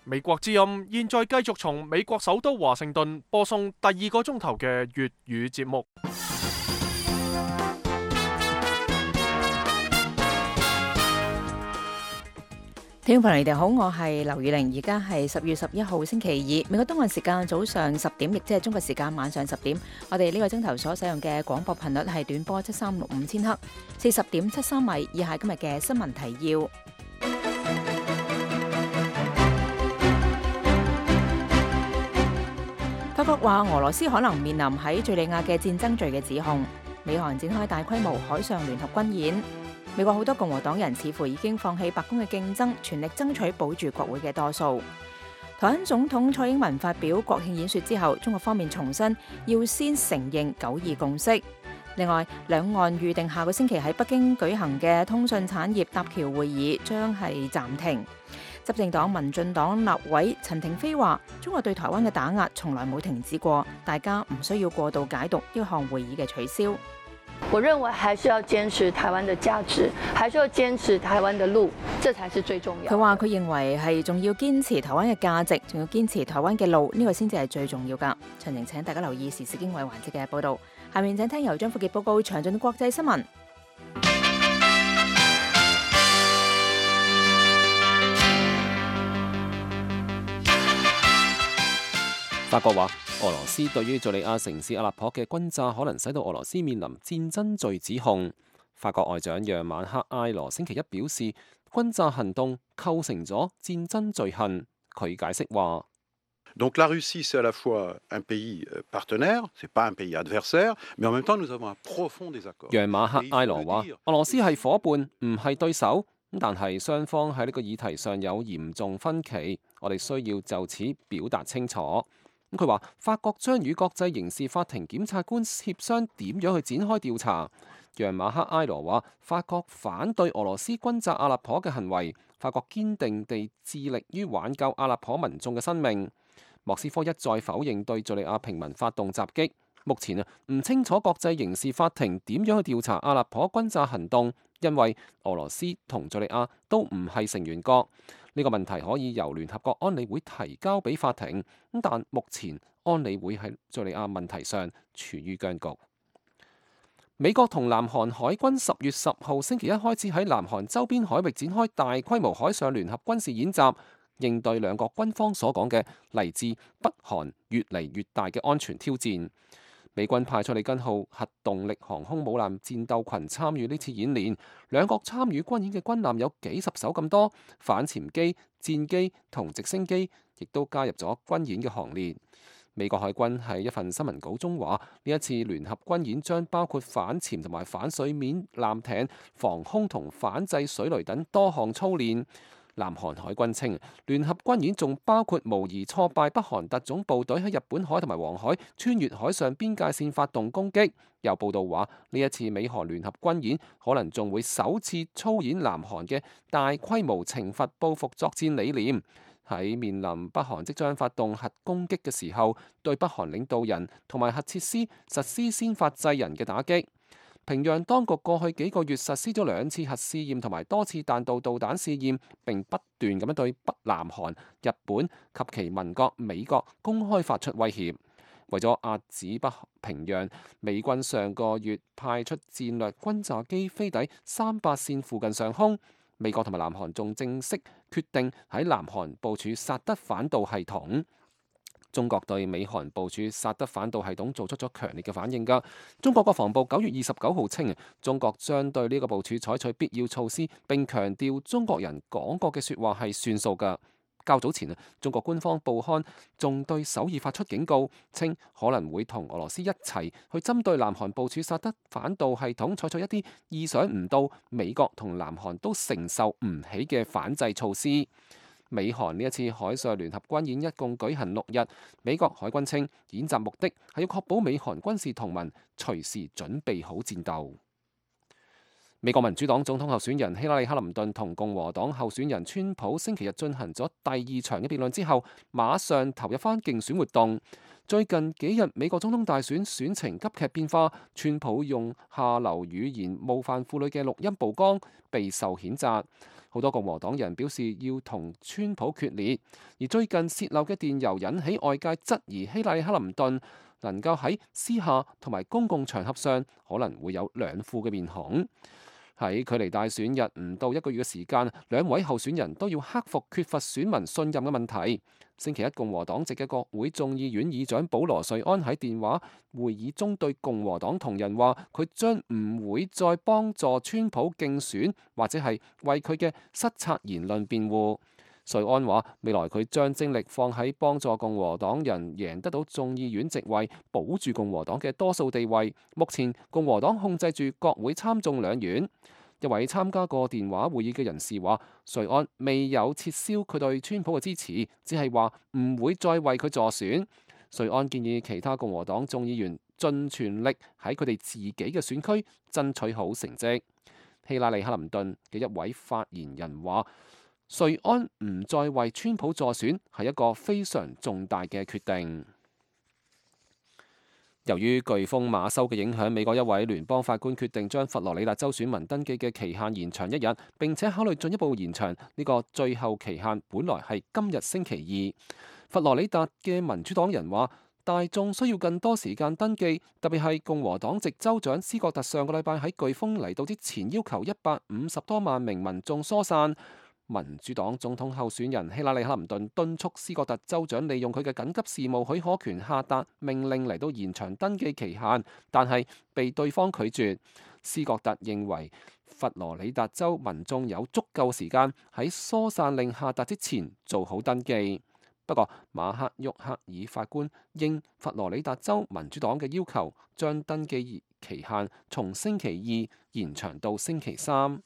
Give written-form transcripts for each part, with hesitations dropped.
美國之音現在繼續從美國首都華盛頓播送第二個鐘頭嘅粵語節目。聽眾朋友，你哋好，我係劉宇玲，而家係10月11號星期二，美國東岸時間早上10點，亦即係中國時間晚上10點。我哋呢個鐘頭所使用嘅廣播頻率係短波7365千赫，40.73米。以下今日嘅新聞提要。法國話俄羅斯可能面臨喺敘利亞嘅戰爭罪嘅指控。美韓展開大規模海上聯合軍演。美國好多共和黨人似乎已經放棄白宮嘅競爭，全力爭取保住國會嘅多數。台灣總統蔡英文發表國慶演說之後，中國方面重申要先承認9·2共識。另外，兩岸預定下個星期喺北京舉行嘅通訊產業搭橋會議將係暫停。執政黨民進黨立委陳亭妃話：中國對台灣嘅打壓從來冇停止過，大家唔需要過度解讀呢項會議嘅取消。我認為還是要堅持台灣的價值，還是要堅持台灣的路，這才是最重要。佢話佢認為係仲要堅持台灣嘅價值，仲要堅持台灣嘅路，呢個先至係最重要㗎。詳情請大家留意時事經緯環節嘅報導。下面請聽由張富傑報告詳盡國際新聞。法國話，俄羅斯對於敘利亞城市阿勒頗嘅轟炸可能使到俄羅斯面臨戰爭罪指控。法國外長讓馬克埃羅星期一表示，轟炸行動構成咗戰爭罪行。佢解釋話Donc la Russie c'est à la fois un pays partenaire, c'est pas un pays adversaire, mais en même temps nous avons un profond désaccord。讓馬克埃羅話，俄羅斯係夥伴，唔係對手，但係雙方喺呢個議題上有嚴重分歧，我哋需要就此表達清楚。佢話法國將與國際刑事法庭檢察官協商點樣去展開調查。讓馬克埃羅話，法國反對俄羅斯轟炸阿勒頗嘅行為，法國堅定地致力於挽救阿勒頗民眾嘅生命。莫斯科一再否認對敘利亞平民發動襲擊。目前唔清楚國際刑事法庭點樣去調查阿勒頗轟炸行動，因為俄羅斯同敘利亞都唔係成員國。呢個問題可以由聯合國安理會提交俾法庭，但目前安理會喺敘利亞問題上處於僵局。美國同南韓海軍10月10號星期一開始喺南韓周邊海域展開大規模海上聯合軍事演習，應對兩國軍方所講嘅嚟自北韓越嚟越大嘅安全挑戰。美軍派出里根號核動力航空母艦戰鬥群參與呢次演練，兩國參與軍演嘅軍艦有幾十艘咁多，反潛機、戰機同直升機亦都加入咗軍演嘅行列。美國海軍喺一份新聞稿中話，呢一次聯合軍演將包括反潛同埋反水面艦艇、防空同反制水雷等多項操練。南韓海軍稱，聯合軍演仲包括模擬挫敗北韓特種部隊喺日本海同埋黃海穿越海上邊界線發動攻擊。有報道話，呢一次美韓聯合軍演可能仲會首次操演南韓嘅大規模懲罰報復作戰理念，喺面臨北韓即將發動核攻擊嘅時候，對北韓領導人同埋核設施實施先發制人嘅打擊。平壤當局過去幾個月實施咗2次核試驗同埋多次彈道導彈試驗，並不斷咁樣對北南韓、日本及其盟國美國公開發出威脅。為咗遏止北平壤，美軍上個月派出戰略轟炸機飛抵300線附近上空。美國同埋南韓仲正式決定喺南韓部署薩德反導系統。中國對美韓部署薩德反導系統做出咗強烈嘅反應㗎。中國國防部9月29號稱，中國將對呢個部署採取必要措施，並強調中國人講過嘅説話係算數㗎。較早前中國官方報刊仲對首爾發出警告，稱可能會同俄羅斯一齊去針對南韓部署薩德反導系統採取一啲意想唔到、美國同南韓都承受唔起嘅反制措施。美韓呢一次海上聯合軍演一共舉行6日，美國海軍稱演習目的係要確保美韓軍事同盟隨時準備好戰鬥。美國民主黨總統候選人希拉里·克林頓同共和黨候選人川普星期日進行咗第2場嘅辯論之後，馬上投入返競選活動。最近幾日美國總統大選選情急劇變化，川普用下流語言冒犯婦女嘅錄音曝光，備受譴責。好多共和黨人表示要同川普決裂。而最近洩漏嘅電郵引起外界質疑希拉里·克林頓能夠喺私下同埋公共場合上可能會有兩副嘅面孔。喺距離大選日唔到1個月嘅時間，兩位候選人都要克服缺乏選民信任嘅問題。星期一，共和黨籍嘅國會眾議院議長保羅·瑞安喺電話會議中對共和黨同仁話，佢將唔會再幫助川普競選，或者係為佢嘅失策言論辯護。瑞安話，未來佢將精力放喺幫助共和黨人贏得到眾議院席位，保住共和黨嘅多數地位。目前共和黨控制住國會參眾兩院。一位參加過電話會議嘅人士話，瑞安未有撤銷佢對川普嘅支持，只係話唔會再為佢助選。瑞安建議其他共和黨眾議員盡全力喺佢哋自己嘅選區爭取好成績。希拉里·克林頓嘅一位發言人話，瑞安唔再為川普助選係一個非常重大嘅決定。由於颶風馬修嘅影響，美國一位聯邦法官決定將佛羅里達州選民登記嘅期限延長1日，並且考慮進一步延長呢個最後期限。本來係今日星期2。佛羅里達嘅民主黨人話，大眾需要更多時間登記，特別係共和黨籍州長斯國特上個禮拜喺颶風嚟到之前要求150多萬名民眾疏散。民主黨總統候選人希拉里·克林頓敦促斯國特州長利用佢嘅緊急事務許可權下達命令嚟到延長登記期限，但係被對方拒絕。斯國特認為佛羅里達州民眾有足夠時間喺疏散令下達之前做好登記。不過馬克·沃克爾法官應佛羅里達州民主黨嘅要求，將登記期限從星期2延長到星期3。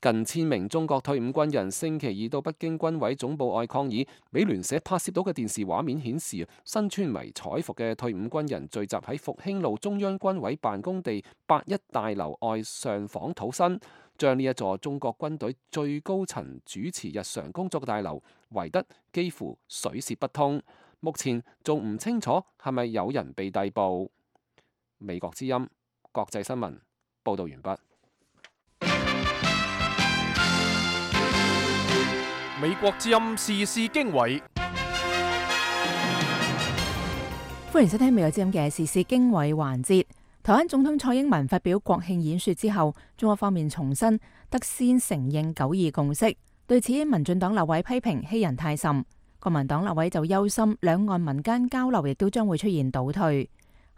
近1000名中國退伍軍人星期2到北京軍委總部外抗議。美聯社拍攝到嘅電視畫面顯示，身穿迷彩服嘅退伍軍人聚集喺復興路中央軍委辦公地81大樓外上訪土生，將呢一座中國軍隊最高層主持日常工作嘅大樓圍得幾乎水泄不通。目前仲唔清楚係咪有人被逮捕。美國之音國際新聞報導完畢。美國之音時事經緯，歡迎收聽美國之音嘅時事經緯環節。台灣總統蔡英文發表國慶演說之後，中國方面重申得先承認9·2共識。對此，民進黨立委批評欺人太甚，國民黨立委就憂心兩岸民間交流亦都將會出現倒退。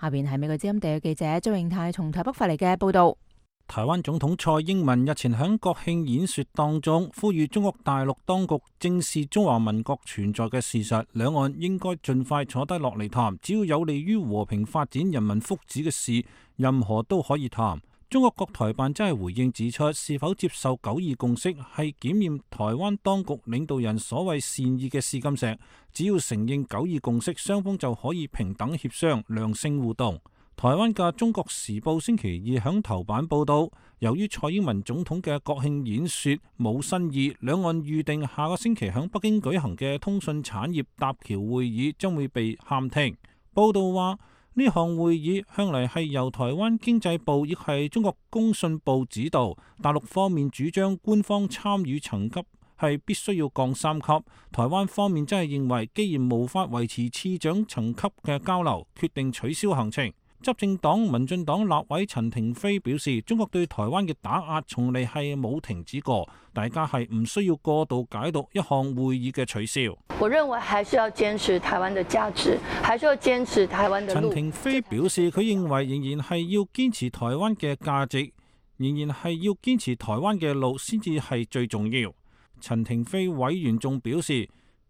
下邊係美國之音地約記者周永泰從台北發嚟嘅報道。台灣總統蔡英文日前喺國慶演說當中，呼籲中國大陸當局正視中華民國存在嘅事實，兩岸應該盡快坐低落嚟談，只要有利於和平發展、人民福祉嘅事，任何都可以談。中國國台辦真係回應指出，是否接受9·2共識係檢驗台灣當局領導人所謂善意嘅試金石，只要承認9·2共識，雙方就可以平等協商、良性互動。台灣嘅《中國時報》星期2響頭版報道，由於蔡英文總統嘅國慶演說冇新意，兩岸預定下個星期響北京舉行嘅通訊產業搭橋會議將會被喊停。報道話，呢項會議向嚟係由台灣經濟部亦係中國工信部指導，大陸方面主張官方參與層級係必須要降3級，台灣方面真係認為既然無法維持次長層級嘅交流，決定取消行程。執政黨民進黨立委陳亭妃表示，中國對台灣嘅打壓從嚟係冇停止過，大家係唔需要過度解讀一項會議嘅取消。我認為還是要堅持台灣的價值，還是要堅持台灣的路。陳亭妃表示，佢認為仍然係要堅持台灣嘅價值，仍然係要堅持台灣嘅路先至係最重要。陳亭妃委員仲表示，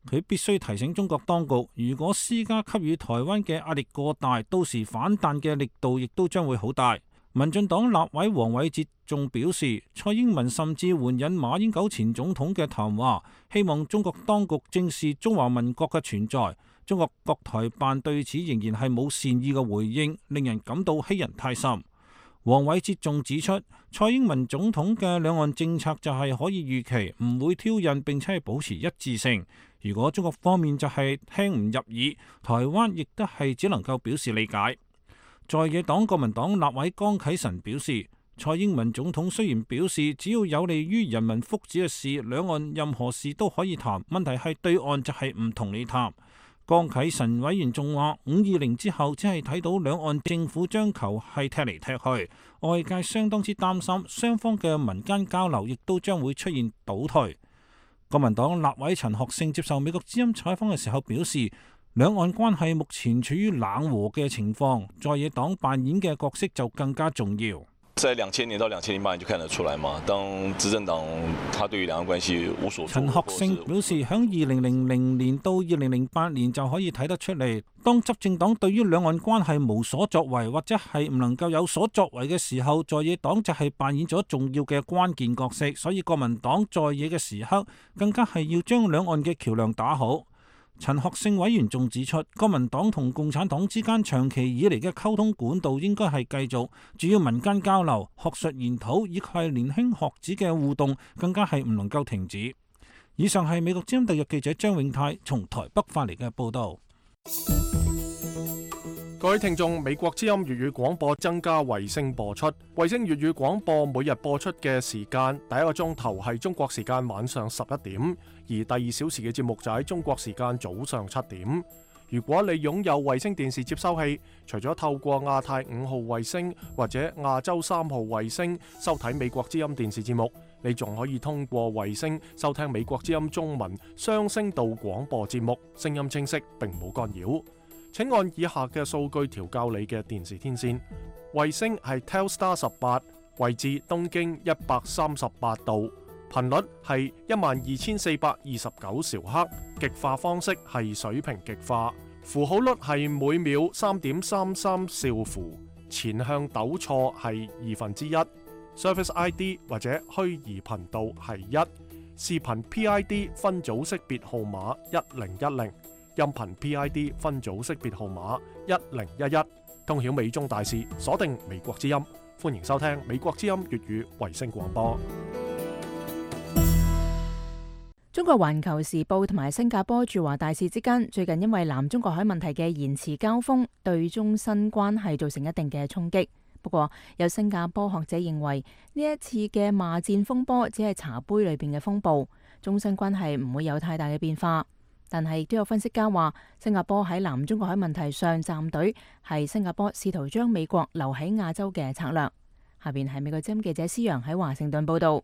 佢必須提醒中國當局，如果施加給予台灣嘅壓力過大，到時反彈嘅力度亦都將會好大。民進黨立委黃偉哲仲表示，蔡英文甚至援引馬英九前總統嘅談話，希望中國當局正視中華民國嘅存在。中國國台辦對此仍然係冇善意嘅回應，令人感到欺人太甚。黃偉哲仲指出，蔡英文總統嘅兩岸政策就係可以預期，唔會挑釁，並且係保持一致性。如果中國方面就係聽唔入耳，台灣亦都係只能夠表示理解。在野黨國民黨立委江啟臣表示，蔡英文總統雖然表示，只要有利於人民福祉嘅事，兩岸任何事都可以談。問題係對岸就係唔同你談。江啟臣委員仲話，520之後只係睇到兩岸政府將球係踢嚟踢去，外界相當之擔心，雙方嘅民間交流亦都將會出現倒退。國民黨立委陳學聖接受美國之音採訪嘅時候表示，兩岸關係目前處於冷和嘅情況，在野黨扮演嘅角色就更加重要。在2000年到2008年就看得出來嘛，當執政黨他對於兩岸關係無所。陳學聖表示，響2000年到2008年就可以睇得出嚟，當執政黨對於兩岸關係無所作為或者係唔能夠有所作為嘅時候，在野黨就係扮演咗重要嘅關鍵角色，所以國民黨在野嘅時刻更加係要將兩岸嘅橋樑打好。陳學聖委員仲指出，國民黨同共產黨之間長期以嚟嘅溝通管道應該係繼續，主要民間交流、學術研討以及係年輕學子嘅互動，更加係唔能夠停止。以上係美國之音特約記者張永泰從台北發嚟嘅報道。各位聽眾，美國之音粵語廣播增加衛星播出，衛星粵語廣播每日播出嘅時間，第一個鐘頭係中國時間晚上11點，而第2小時嘅節目就喺中國時間早上7點。如果你擁有衛星電視接收器，除咗透過亞太5號衛星或者亞洲3號衛星收睇美國之音電視節目，你仲可以通過衛星收聽美國之音中文雙聲道廣播節目，聲音清晰並冇干擾。請按以下嘅數據調校你嘅電視天線。衛星係 Telstar 18，位置東經138度，頻率係12429兆赫，極化方式係水平極化，符號率係每秒3.33兆符，前向抖錯係1/2。Service ID 或者虛擬頻道係1，視頻 PID 分組識別號碼1010。音頻 PID 分組識別號碼1011，通曉美中大事，鎖定美國之音，歡迎收聽美國之音粵語衛星廣播。中國環球時報同埋新加坡駐華大使之間最近因為南中國海問題嘅言辭交鋒，對中新關係造成一定嘅衝擊。不過，有新加坡學者認為呢一次嘅罵戰風波只係茶杯裏邊嘅風暴，中新關係唔會有太大嘅變化。但係亦都有分析家話，新加坡喺南中國海問題上站隊係新加坡試圖將美國留喺亞洲嘅策略。下邊係美國之音記者施洋喺華盛頓報道。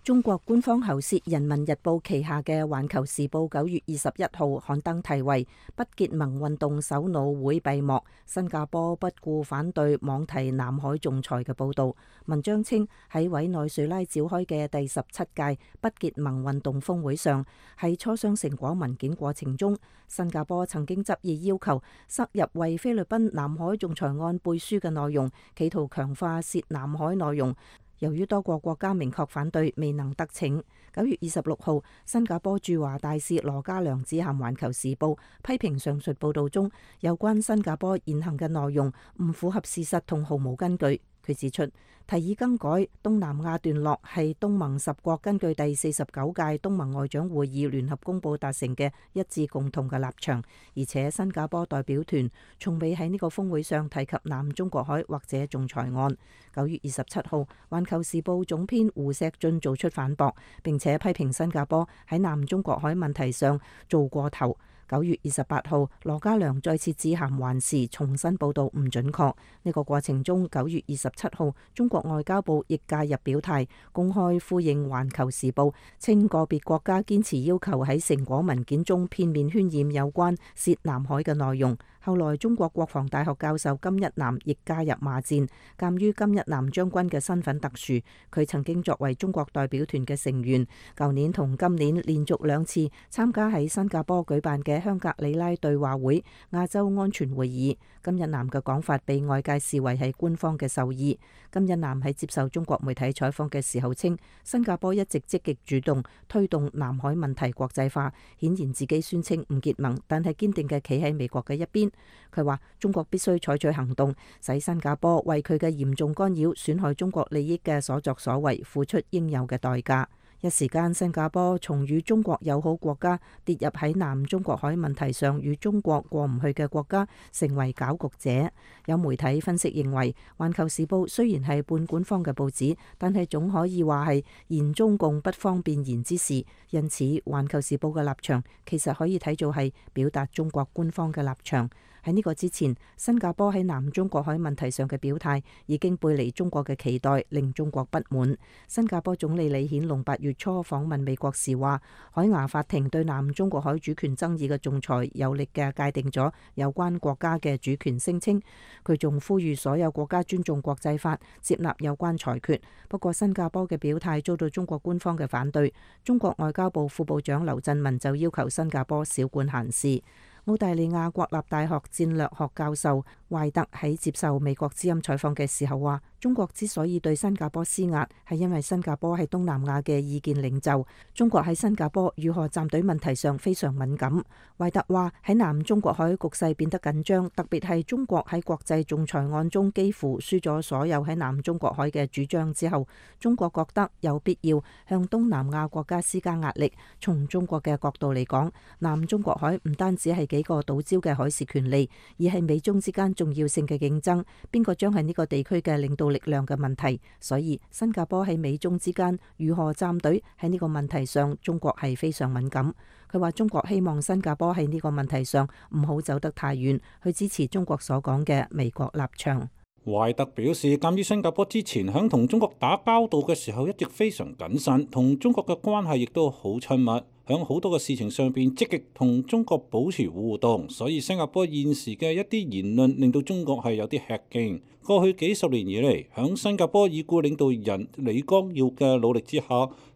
中國官方喉舌《人民日報》旗下嘅《環球時報》9月21號刊登題為《不結盟運動首腦會閉幕，新加坡不顧反對妄提南海仲裁》嘅報道。文章稱喺委內瑞拉召開嘅第17屆不結盟運動峰會上，喺磋商成果文件過程中，新加坡曾經執意要求塞入為菲律賓南海仲裁案背書嘅內容，企圖強化涉南海內容。由於多個國家明確反對，未能得逞。9月26號，新加坡駐華大使羅家良致函《環球時報》，批評上述報導中有關新加坡言行嘅內容唔符合事實同毫無根據。佢指出，提議更改東南亞段落係東盟10國根據第49屆東盟外長會議聯合公佈達成嘅一致共同嘅立場，而且新加坡代表團從未喺呢個峰會上提及南中國海或者仲裁案。9月27號，《環球時報》總編胡錫進做出反駁，並且批評新加坡喺南中國海問題上做過頭。9月28號，羅家良再次致函環時，重新報導唔準確。呢個過程中，9月27號，中國外交部亦介入表態，公開呼應環球時報，稱個別國家堅持要求喺成果文件中片面渲染有關涉南海嘅內容。後來，中國國防大學教授金一南亦加入罵戰。鑑於金一南將軍嘅身份特殊，佢曾經作為中國代表團嘅成員，舊年同今年連續2次參加喺新加坡舉辦嘅香格里拉對話會亞洲安全會議。金一南嘅講法被外界視為係官方嘅授意。金一南喺接受中國媒體採訪嘅時候稱，新加坡一直積極主動推動南海問題國際化，顯然自己宣稱唔結盟，但係堅定嘅企喺美國嘅一邊。佢話中國必須採取行動，使新加坡為佢嘅嚴重干擾、損害中國利益嘅所作所為付出應有嘅代價。一時間新加坡從與中國友好國家跌入喺南中國海問題上與中國過唔去嘅國家，成為攪局者。有媒體分析認為，《環球時報》雖然係半官方嘅報紙，但係總可以話係言中共不方便言之事，因此《環球時報》嘅立場其實可以睇做係表達中國官方嘅立場。喺呢個之前，新加坡喺南中國海問題上嘅表態已經背離中國嘅期待，令中國不滿。新加坡總理李顯龍8月初訪問美國時話，海牙法庭對南中國海主權爭議嘅仲裁有力嘅界定咗有關國家嘅主權聲稱。佢仲呼籲所有國家尊重國際法，接納有關裁決。不過新加坡嘅表態遭到中國官方嘅反對，中國外交部副部長劉振民就要求新加坡少管閒事。澳大利亞國立大學戰略學教授懷特喺接受美國之音採訪嘅時候話，中國之所以對新加坡施壓，係因為新加坡係東南亞嘅意見領袖，中國喺新加坡如何站隊問題上非常敏感。懷特話喺南中國海局勢變得緊張，特別係中國喺國際仲裁案中幾乎輸咗所有喺南中國海嘅主張之後，中國覺得有必要向東南亞國家施加壓力。從中國嘅角度嚟講，南中國海唔單止係幾個島礁嘅海事權利，而係美中之間重要性嘅競爭，邊個將係呢個地區嘅領導力量嘅問題。所以新加坡喺美中之間如何站隊喺呢個問題上，中國係非常敏感。佢話中國希望新加坡喺呢個問題上唔好走得太遠，去支持中國所講嘅美國立場。懷特表示，鑑於新加坡之前響同中國打交道嘅時候一直非常謹慎，同中國嘅關係亦都好親密，響好多嘅事情上邊積極同中國保持互動，所以新加坡現時嘅一啲言論令到中國係有啲吃驚。過去幾十年以嚟，響新加坡已故領導人李光耀嘅努力之下，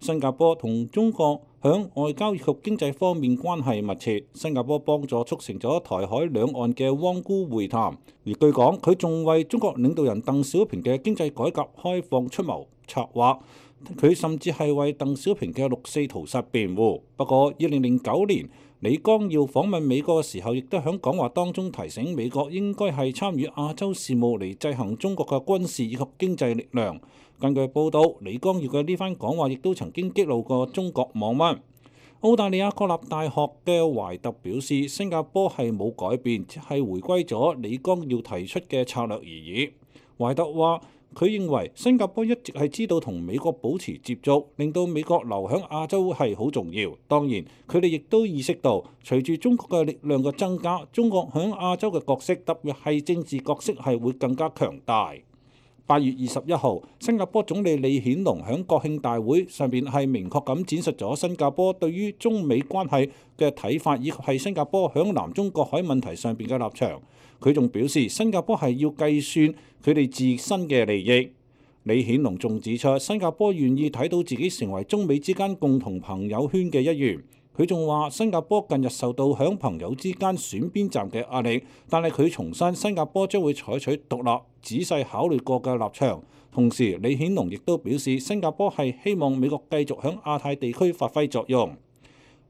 新加坡同中國響外交以及經濟方面關係密切。新加坡幫助促成咗台海兩岸嘅汪辜會談，而據講佢仲為中國領導人鄧小平嘅經濟改革開放出謀策劃。佢甚至係為鄧小平嘅六四屠殺辯護。不過2009年李光耀訪問美國嘅時候，亦都喺講話當中提醒美國應該係參與亞洲事務嚟制衡中國嘅軍事以及經濟力量。根據報道，李光耀嘅呢番講話亦都曾經激怒過中國網民。澳大利亞國立大學嘅懷特表示，新加坡係冇改變，只係回歸咗李光耀提出嘅策略而已。懷特話，佢認為新加坡一直係知道同美國保持接觸，令到美國留喺亞洲係好重要。當然，佢哋亦都意識到，隨住中國嘅力量嘅增加，中國喺亞洲嘅角色，特別係政治角色係會更加強大。8月21號，新加坡總理李顯龍喺國慶大會上邊係明確咁展述咗新加坡對於中美關係嘅睇法，以及係新加坡喺南中國海問題上邊嘅立場。佢仲表示，新加坡係要計算佢哋自身嘅利益。李顯龍仲指出，新加坡願意睇到自己成為中美之間共同朋友圈嘅一員。佢仲話，新加坡近日受到響朋友之間選邊站嘅壓力，但係佢重申新加坡將會採取獨立、仔細考慮過嘅立場。同時，李顯龍亦都表示，新加坡係希望美國繼續響亞太地區發揮作用。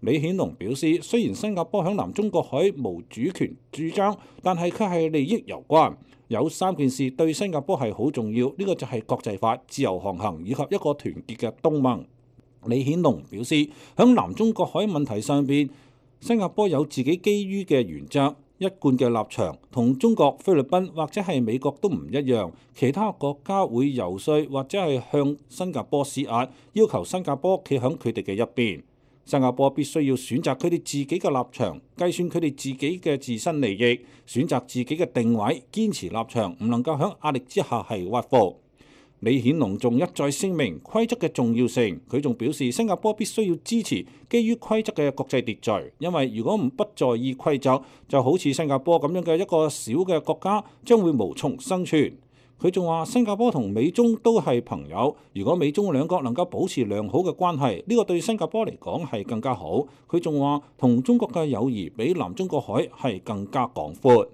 李顯龍表示，雖然新加坡響南中國海無主權主張，但係佢係利益攸關。有3件事對新加坡係好重要，呢個就係國際法、自由航行以及一個團結嘅東盟。李顯龍表示，響南中國海問題上邊，新加坡有自己基於嘅原則、一貫嘅立場，同中國、菲律賓或者係美國都唔一樣。其他國家會游說或者係向新加坡施壓，要求新加坡企響佢哋嘅一邊。新加坡必須要選擇佢哋自己嘅立場，計算佢哋自己嘅自身利益，選擇自己嘅定位，堅持立場，唔能夠喺壓力之下係屈服。李顯龍仲一再聲明規則嘅重要性，佢仲表示新加坡必須要支持基於規則嘅國際秩序，因為如果不在意規則，就好似新加坡咁樣嘅一個小嘅國家，將會無從生存。佢仲話新加坡同美中都係朋友，如果美中兩國能夠保持良好嘅關係，呢個對新加坡嚟講係更加好。佢仲話同中國嘅友誼比南中國海係更加廣闊。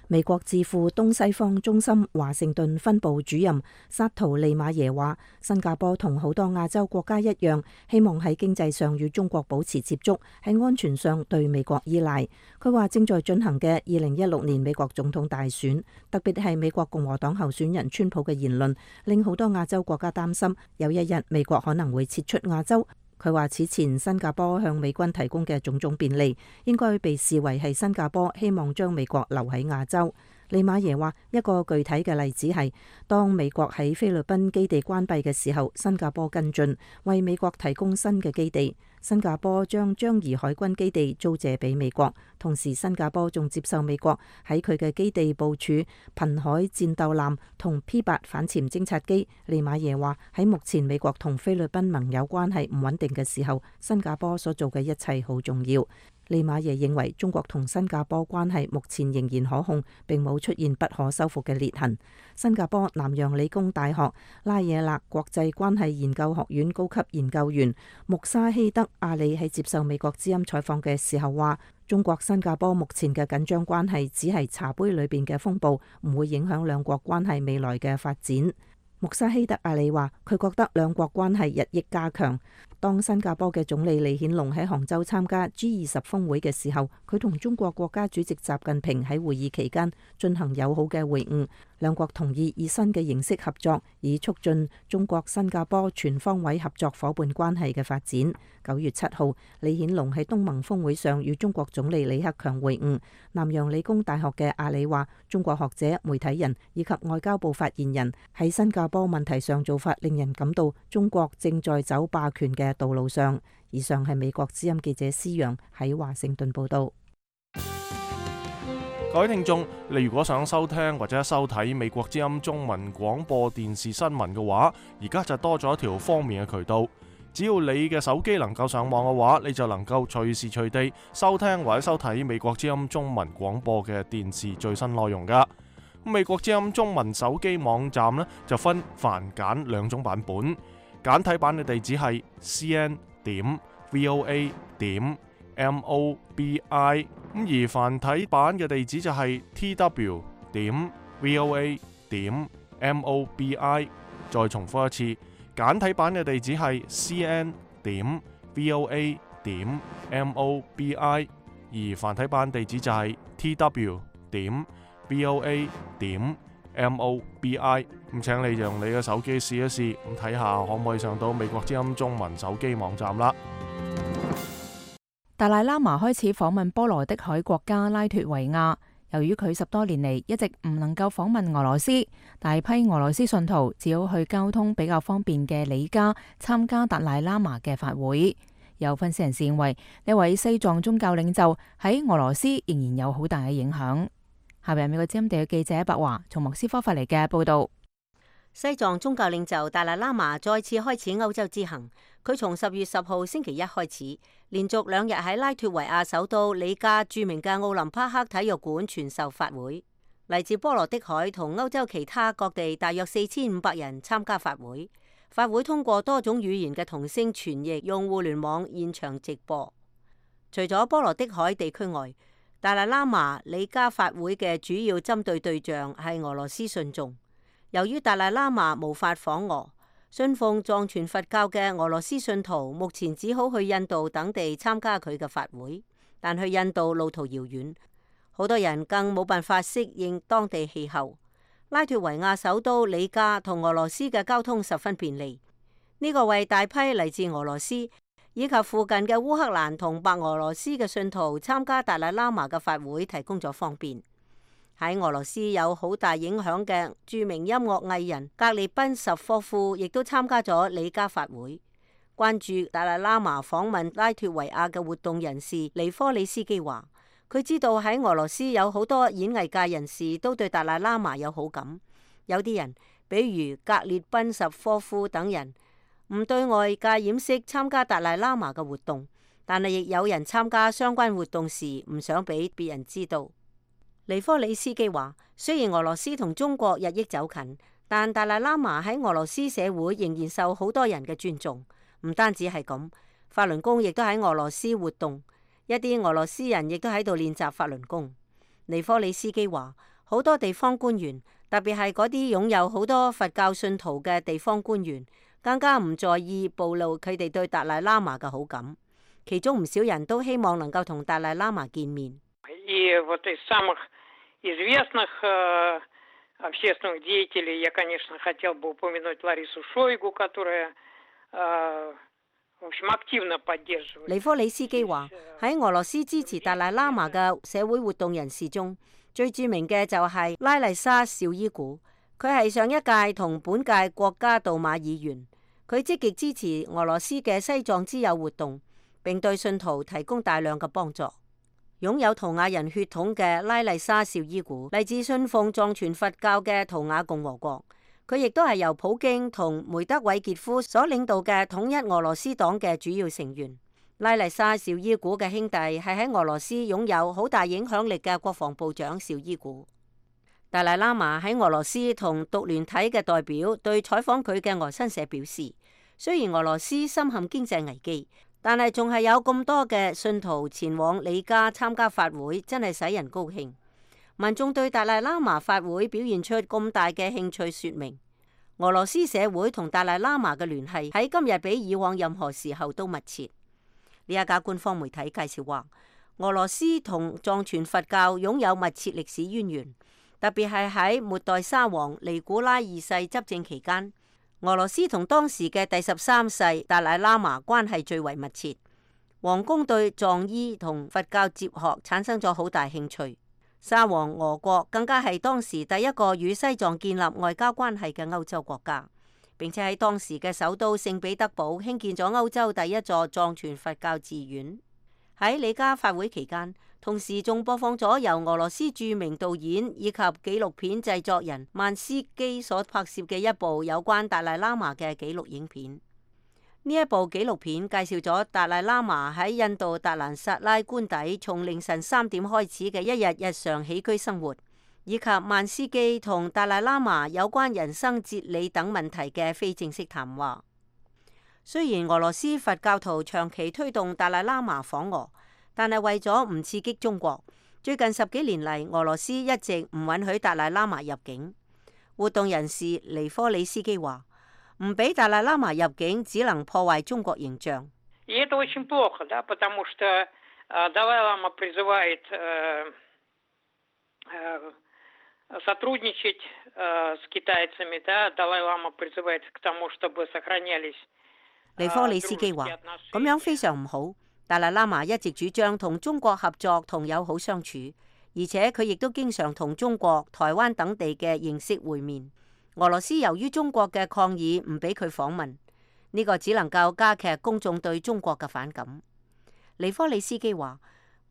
美國智庫東西方中心華盛頓分部主任薩圖利馬耶話，新加坡同好多亞洲國家一樣，希望喺經濟上與中國保持接觸，喺安全上對美國依賴。佢話正在進行嘅2016年美國總統大選，特別係美國共和黨候選人川普嘅言論，令好多亞洲國家擔心有一日美國可能會撤出亞洲。佢話此前新加坡向美軍提供嘅種種便利，應該被視為係新加坡希望將美國留喺亞洲。利馬耶話，一個具體嘅例子係，當美國喺菲律賓基地關閉嘅時候，新加坡跟進，為美國提供新嘅基地。新加坡將樟宜海軍基地租借俾美國，同時新加坡仲接受美國喺佢嘅基地部署瀕海戰鬥艦同 P8 反潛偵察機。利馬耶話，喺目前美國同菲律賓盟友關係唔穩定嘅時候，新加坡所做嘅一切好重要。利馬耶認為中國同新加坡關係目前仍然可控，並冇出現不可修復嘅裂痕。新加坡南洋理工大學拉惹勒國際關係研究學院高級研究員穆沙希德阿里喺接受美國之音採訪嘅時候話，中國新加坡目前嘅緊張關係只係茶杯裏邊嘅風暴，唔會影響兩國關係未來嘅發展。穆沙希德阿里話，佢覺得兩國關係日益加強。當新加坡嘅總理李顯龍喺杭州參加 G20 峰會嘅時候，佢同中國國家主席習近平喺會議期間進行友好嘅會晤，兩國同意以新嘅形式合作，以促進中國新加坡全方位合作伙伴關係嘅發展。9月7號，李顯龍喺東盟峰會上與中國總理李克強會晤。南洋理工大學嘅阿里話，中國學者、媒體人以及外交部發言人喺新加坡問題上做法，令人感到中國正在走霸權嘅道路上。以上係美國之音記者施陽喺華盛頓報道。各位聽眾，你如果想收聽或者收睇美國之音中文廣播電視新聞嘅話，而家就多咗一條方便嘅渠道。只要你嘅手機能夠上網嘅話，你就能夠隨時隨地收聽或者收睇美國之音中文廣播嘅電視最新內容噶。美國之音中文手機網站呢，就分繁簡兩種版本。簡體版嘅地址係 cn.voa.mobi， 而繁體版嘅地址就係 tw.voa.mobi。 再重複一次，簡體版嘅地址係 cn.voa.mobi， 而繁體版地址就係 tw.voa.mobi。咁請你用你嘅手機試一試，咁睇下可唔可以上到美國之音中文手機網站啦。達賴喇嘛開始訪問波羅的海國家拉脫維亞，由於佢10多年嚟一直唔能夠訪問俄羅斯，大批俄羅斯信徒只好去交通比較方便嘅里加參加達賴喇嘛嘅法會。有分析人士認為，呢位西藏宗教領袖喺俄羅斯仍然有好大嘅影響。下邊美國之音地嘅記者白華從莫斯科發嚟嘅報道。西藏宗教領袖達賴喇嘛再次開始歐洲之行，佢從10月10號星期一開始，連續2日喺拉脫維亞首都里加著名嘅奧林匹克體育館傳授法會。嚟自波羅的海同歐洲其他各地大約4500人參加法會。法會通過多種語言嘅同聲傳譯，用互聯網現場直播。除咗波羅的海地區外，達賴喇嘛里加法會嘅主要針對對象係俄羅斯信眾。由於達賴喇嘛無法訪俄，信奉藏傳佛教嘅俄羅斯信徒目前只好去印度等地參加佢嘅法會，但去印度路途遙遠，好多人更冇辦法適應當地氣候。拉脫維亞首都里加同俄羅斯嘅交通十分便利，呢個為大批嚟自俄羅斯以及附近嘅烏克蘭同白俄羅斯嘅信徒參加達賴喇嘛嘅法會提供咗方便。喺俄羅斯有好大影響嘅著名音樂藝人格列賓什科夫亦都參加咗里加法會。關注達賴喇嘛訪問拉脫維亞嘅活動人士尼科里斯基話，佢知道喺俄羅斯有好多演藝界人士都對達賴喇嘛有好感，有啲人比如格列賓什科夫等人唔對外界掩飾參加達賴喇嘛嘅活動，但係亦有人參加相關活動時唔想俾別人知道。尼科里斯基話，雖然俄羅斯同中國日益走近，但達賴喇嘛喺俄羅斯社會仍然受好多人嘅尊重。唔單止係咁，法輪功亦都喺俄羅斯活動，一啲俄羅斯人亦都喺度練習法輪功。尼科里斯基話，好多地方官員，特別係嗰啲擁有好多佛教信徒嘅地方官員，更加唔在意暴露佢哋對達賴喇嘛嘅好感。其中唔少人都希望能夠同達賴喇嘛見面。известных общественных деятелей я, конечно, хотел бы упомянуть Ларису Шойгу, которая 尼科里斯基話：喺俄羅斯支持達賴喇嘛嘅社會活動人士中，最著名嘅就係拉麗莎紹伊古。佢係上一屆同本屆國家杜馬議員，佢積極支持俄羅斯嘅西藏之友活動，並對信徒提供大量嘅幫助。擁有圖瓦人血統嘅拉麗莎紹伊古嚟自信奉藏傳佛教嘅圖瓦共和國，佢亦都係由普京同梅德韋傑夫所領導嘅統一俄羅斯黨嘅主要成員。拉麗莎紹伊古嘅兄弟係喺俄羅斯擁有好大影響力嘅國防部長紹伊古。達賴喇嘛喺俄羅斯同獨聯體嘅代表對採訪佢嘅俄新社表示，雖然俄羅斯深陷經濟危機，但係仲係有咁多嘅信徒前往里加參加法會，真係使人高興。民眾對達賴喇嘛法會表現出咁大嘅興趣，說明俄羅斯社會同達賴喇嘛嘅聯繫喺今日比以往任何時候都密切。呢一家官方媒體介紹話，俄羅斯同藏傳佛教擁有密切歷史淵源。特別係喺末代沙皇尼古拉二世執政期間，俄羅斯同當時嘅第13世達賴喇嘛關係最為密切。皇宮對藏醫同佛教哲學產生咗好大興趣。沙皇俄國更加係當時第一個與西藏建立外交關係嘅歐洲國家，並且喺當時嘅首都聖彼得堡興建咗歐洲第一座藏傳佛教寺院。喺里加法會期間，同時仲播放咗由俄羅斯著名導演以及紀錄片製作人曼斯基所拍攝嘅一部有關達賴喇嘛嘅紀錄影片。呢一部紀錄片介紹咗達賴喇嘛喺印度達蘭薩拉官邸從凌晨3點開始嘅一日日常起居生活，以及曼斯基同達賴喇嘛有關人生哲理等問題嘅非正式談話。雖然俄羅斯佛教徒長期推動達賴喇嘛訪俄，但係為咗唔刺激中國，最近10幾年嚟，俄羅斯一直唔允許達賴喇嘛入境。活動人士尼科里斯基話：唔俾達賴喇嘛入境，只能破壞中國形象。尼科里斯基話：咁樣非常唔好。達賴喇嘛一直主張同中國合作同友好相處，而且佢亦都經常同中國、台灣等地嘅形式會面。俄羅斯由於中國嘅抗議唔俾佢訪問，呢個只能夠加劇公眾對中國嘅反感。尼科里斯基話：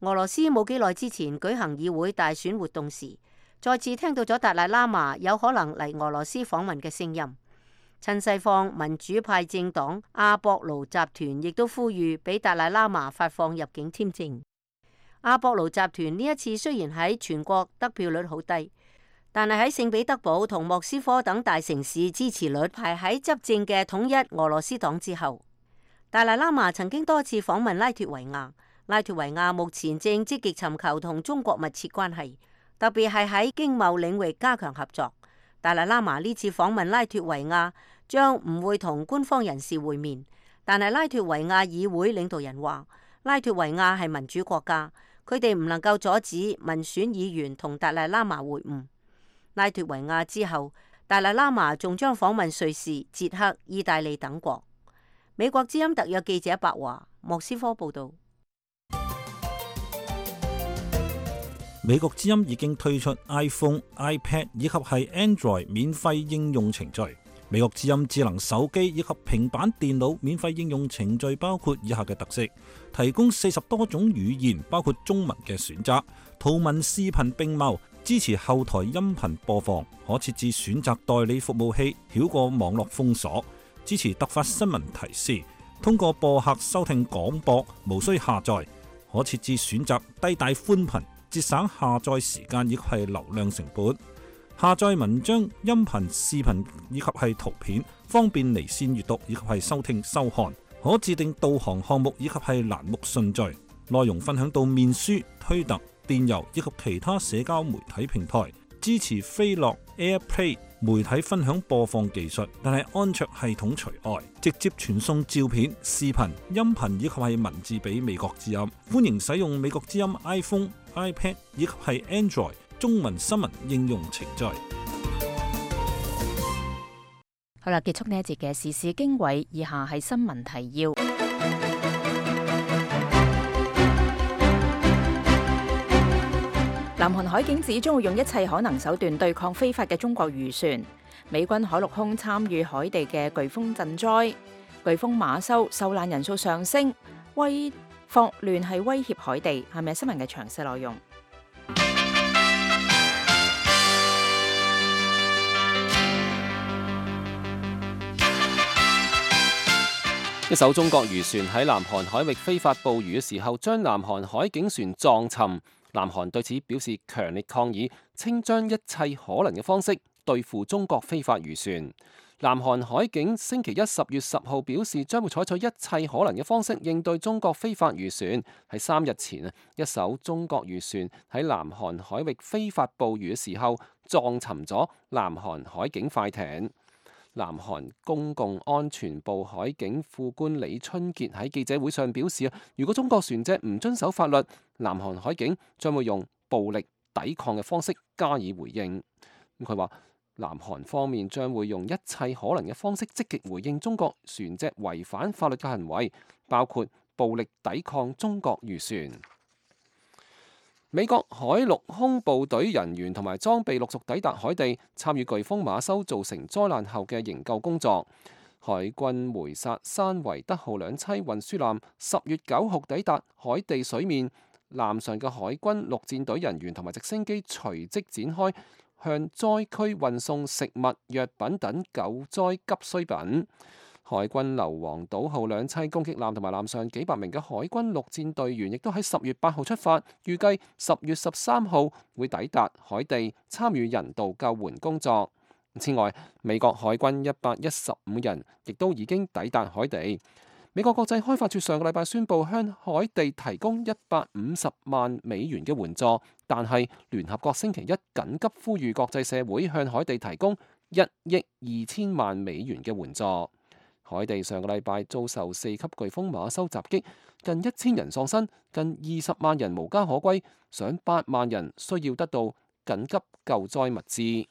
俄羅斯冇幾耐之前舉行議會大選活動時，再次聽到咗達賴喇嘛有可能嚟俄羅斯訪問嘅聲音。親西方民主派政黨阿博盧集團亦都呼籲俾達賴喇嘛發放入境簽證。阿博盧集團呢一次雖然喺全國得票率好低，但係喺聖彼得堡同莫斯科等大城市支持率排喺執政嘅統一俄羅斯黨之後。達賴喇嘛曾經多次訪問拉脫維亞，拉脫維亞目前正積極尋求同中國密切關係，特別係喺經貿領域加強合作。達賴喇嘛呢次訪問拉脫維亞將唔會同官方人士會面，但係拉脫維亞議會領導人話，拉脫維亞係民主國家，佢哋唔能夠阻止民選議員同達賴喇嘛會晤。拉脫維亞之後，達賴喇嘛仲將訪問瑞士、捷克、意大利等國。美國之音特約記者白華，莫斯科報道。美國之音已經推出 iPhone、iPad 以及係 Android 免費應用程序。美國之音智能手機以及平板電腦免費應用程序包括以下嘅特色：提供40多種語言，包括中文嘅選擇，圖文視頻並茂，支持後台音頻播放，可設置選擇代理服務器，繞過網絡封鎖，支持突發新聞提示，通過播客收聽廣播，無需下載，可設置選擇低帶寬頻，節省下載時間以及係流量成本。下載文章、音頻、視頻以及係圖片，方便離線閱讀以及係收聽收看。可自定導航項目以及係欄目順序。內容分享到面書、推特、電郵以及其他社交媒體平台。支持飛樂 AirPlay 媒體分享播放技術，但係安卓系統除外。直接傳送照片、視頻、音頻以及係文字俾美國之音。歡迎使用美國之音 iPhone、iPad 以及係 Android 中文新聞應用程序。好啦，結束呢一節嘅時事經緯，以下係新聞提要。南韓海警指將會用一切可能手段對抗非法嘅中國漁船。美軍海陸空參與海地嘅颶風賑災，颶風馬修受難人數上升，霍亂係威脅海地。係咪新聞嘅詳細內容？一艘中國漁船喺南韓海域非法捕魚嘅時候，將南韓海警船撞沉。南韓對此表示強烈抗議，稱將一切可能嘅方式對付中國非法漁船。南韓海警星期一10月10號表示，將會採取一切可能嘅方式應對中國非法漁船。喺3日前一艘中國漁船喺南韓海域非法捕魚嘅時候，撞沉咗南韓海警快艇。南韓公共安全部海警副官李春傑喺記者會上表示，如果中國船隻唔遵守法律，南韓海警將會用暴力抵抗嘅方式加以回應。佢話南韓方面將會用一切可能嘅方式積極回應中國船隻違反法律嘅行為，包括暴力抵抗中國漁船。美國海陸空部隊人員同埋裝備陸續抵達海地，參與颶風馬修造成災難後嘅營救工作。海軍梅薩山維德號2棲運輸艦10月9號抵達海地水面，艦上嘅海軍陸戰隊人員同埋直升機隨即展開向災區運送食物、藥品等救災急需品。海軍硫磺島號2棲攻擊艦同埋艦上幾百名嘅海軍陸戰隊員亦都喺10月8號出發，預計10月13號會抵達海地參與人道救援工作。此外，美國海軍115人亦都已經抵達海地。美國國際開發署上個禮拜宣布向海地提供150萬美元嘅援助，但係聯合國星期一緊急呼籲國際社會向海地提供1億2000萬美元嘅援助。海地上個禮拜遭受4級颶風馬修襲擊，近1000人喪生，近20萬人無家可歸，上8萬人需要得到緊急救災物資。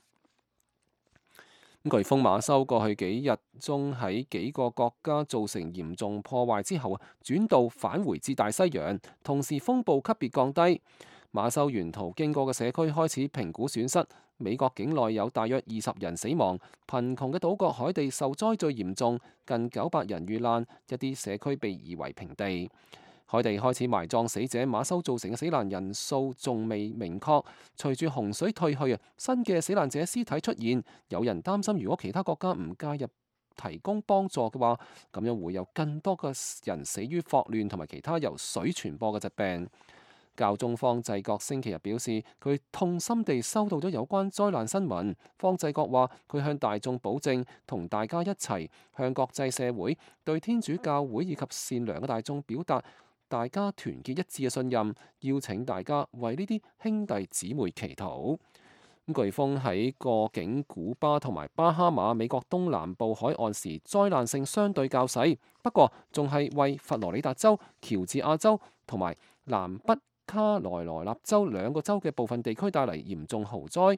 颶風馬修過去幾日中喺幾個國家造成嚴重破壞之後，轉道返回至大西洋，同時風暴級別降低。馬修沿途經過嘅社區開始評估損失。美國境內有大約20人死亡，貧窮嘅島國海地受災最嚴重，近900人遇難，一啲社區被夷為平地。海地開始埋葬死者，馬修造成嘅死難人數仲未明確。隨住洪水退去，新嘅死難者屍體出現，有人擔心如果其他國家唔介入提供幫助嘅話，咁樣會有更多嘅人死於霍亂同埋其他由水傳播嘅疾病。教宗方濟各星期日表示，佢痛心地收到咗有關災難新聞。方濟各話，佢向大眾保證，同大家一齊向國際社會、對天主教會以及善良嘅大眾表達大家團結一致嘅信任，邀請大家為呢啲兄弟姊妹祈禱。颶風喺過境古巴同埋巴哈馬美國東南部海岸時，災難性相對較細，不過仲係為佛羅里達州、喬治亞州同埋南北卡羅來納州2個州嘅部分地區帶嚟嚴重豪災。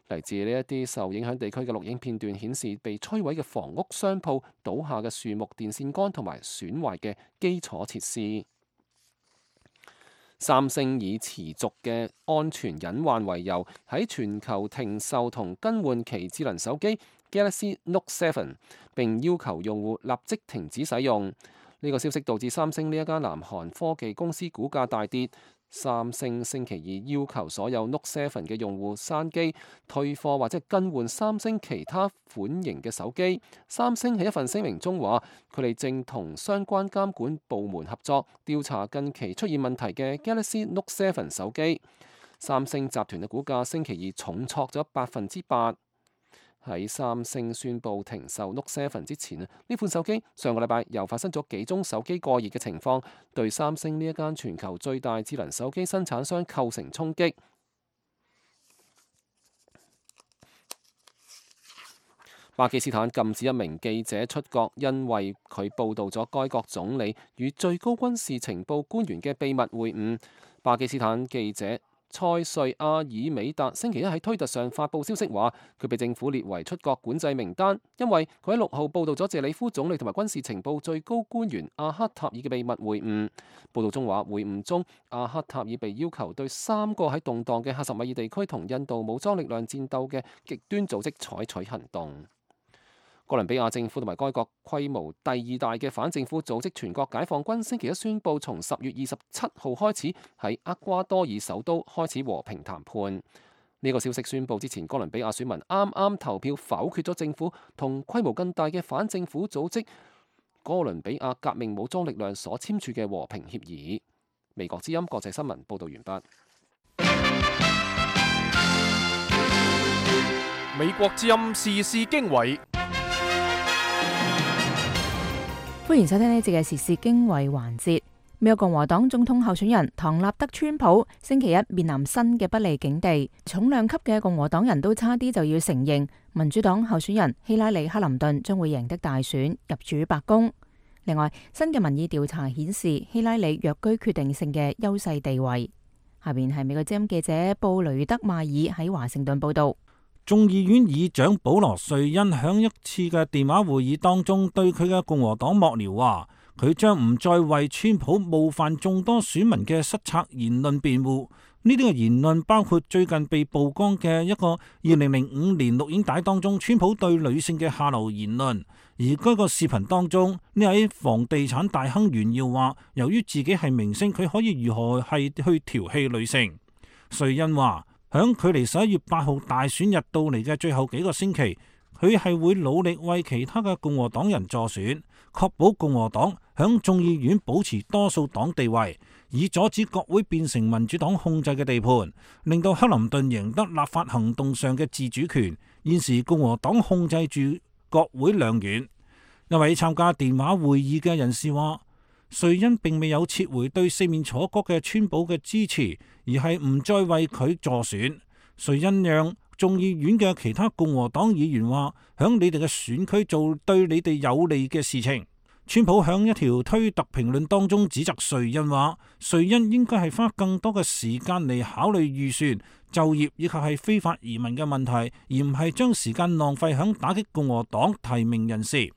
嚟自呢一啲受影響地區嘅錄影片段顯示，被摧毀嘅房屋、商鋪、倒下嘅樹木、電線桿同埋損壞嘅基礎設施。三星以持續嘅安全隱患為由，喺全球停售同更換其智能手機 Galaxy Note 7，並要求用戶立即停止使用。呢個消息導致三星呢一間南韓科技公司股價大跌。三星星期二要求所有 Note 7嘅用戶刪機、退貨或者更換三星其他款型嘅手機。三星喺一份聲明中話，佢哋正同相關監管部門合作，調查近期出現問題嘅 Galaxy Note 7手機。三星集團嘅股價星期二重挫咗8%。喺三星宣布停售 Note 7之前，呢款手機上個禮拜又發生咗幾宗手機過熱嘅情況，對三星呢一間全球最大智能手機生產商構成衝擊。巴基斯坦禁止一名記者出國，因為佢報導咗該國總理與最高軍事情報官員嘅秘密會晤。巴基斯坦記者塞瑞亞爾美達星期一喺推特上發布消息話，佢被政府列為出國管制名單，因為佢喺6號報導咗謝里夫總理同埋軍事情報最高官員阿克塔爾嘅秘密會晤。報導中話，會晤中阿克塔爾被要求對3個喺動盪嘅喀什米爾地區同印度武裝力量戰鬥嘅極端組織採取行動。哥倫比亞政府同埋該國規模第2大嘅反政府組織全國解放軍星期一宣布，從10月27號開始喺厄瓜多爾首都開始和平談判。呢個消息宣布之前，哥倫比亞選民啱啱投票否決咗政府同規模更大嘅反政府組織哥倫比亞革命武裝力量所簽署嘅和平協議。美國之音國際新聞報道完畢。美國之音時事經緯。歡迎收聽呢節嘅時事經緯環節。美國共和黨總統候選人唐納德·川普星期一面臨新嘅不利境地，重量級嘅共和黨人都差啲就要承認民主黨候選人希拉里·克林頓將會贏得大選，入主白宮。另外，新嘅民意調查顯示希拉里躍居決定性嘅優勢地位。下邊係美國之音記者布雷德邁爾喺華盛頓報道。眾議院議長保羅·瑞恩響一次嘅電話會議當中，對佢嘅共和黨幕僚話，佢將唔再為川普冒犯眾多選民嘅失策言論辯護。呢啲嘅言論包括最近被曝光嘅一個2005年錄影帶當中川普對女性嘅下流言論。而該個視頻當中，呢位房地產大亨炫耀話，由於自己係明星，佢可以如何係去調戲女性。瑞恩話，響距離11月8號大選日到嚟嘅最後幾個星期，佢係會努力為其他嘅共和黨人助選，確保共和黨響眾議院保持多數黨地位，以阻止國會變成民主黨控制嘅地盤，令到克林頓贏得立法行動上嘅自主權。現時共和黨控制住國會兩院。一位參加電話會議嘅人士話，瑞恩並未有撤回對四面楚歌嘅川普嘅支持，而係唔再為佢助選。瑞恩讓眾議院嘅其他共和黨議員話，響你哋嘅選區做對你哋有利嘅事情。川普響一條推特評論當中指責瑞恩話，瑞恩應該係花更多嘅時間嚟考慮預算、就業以及係非法移民嘅問題，而唔係將時間浪費響打擊共和黨提名人士。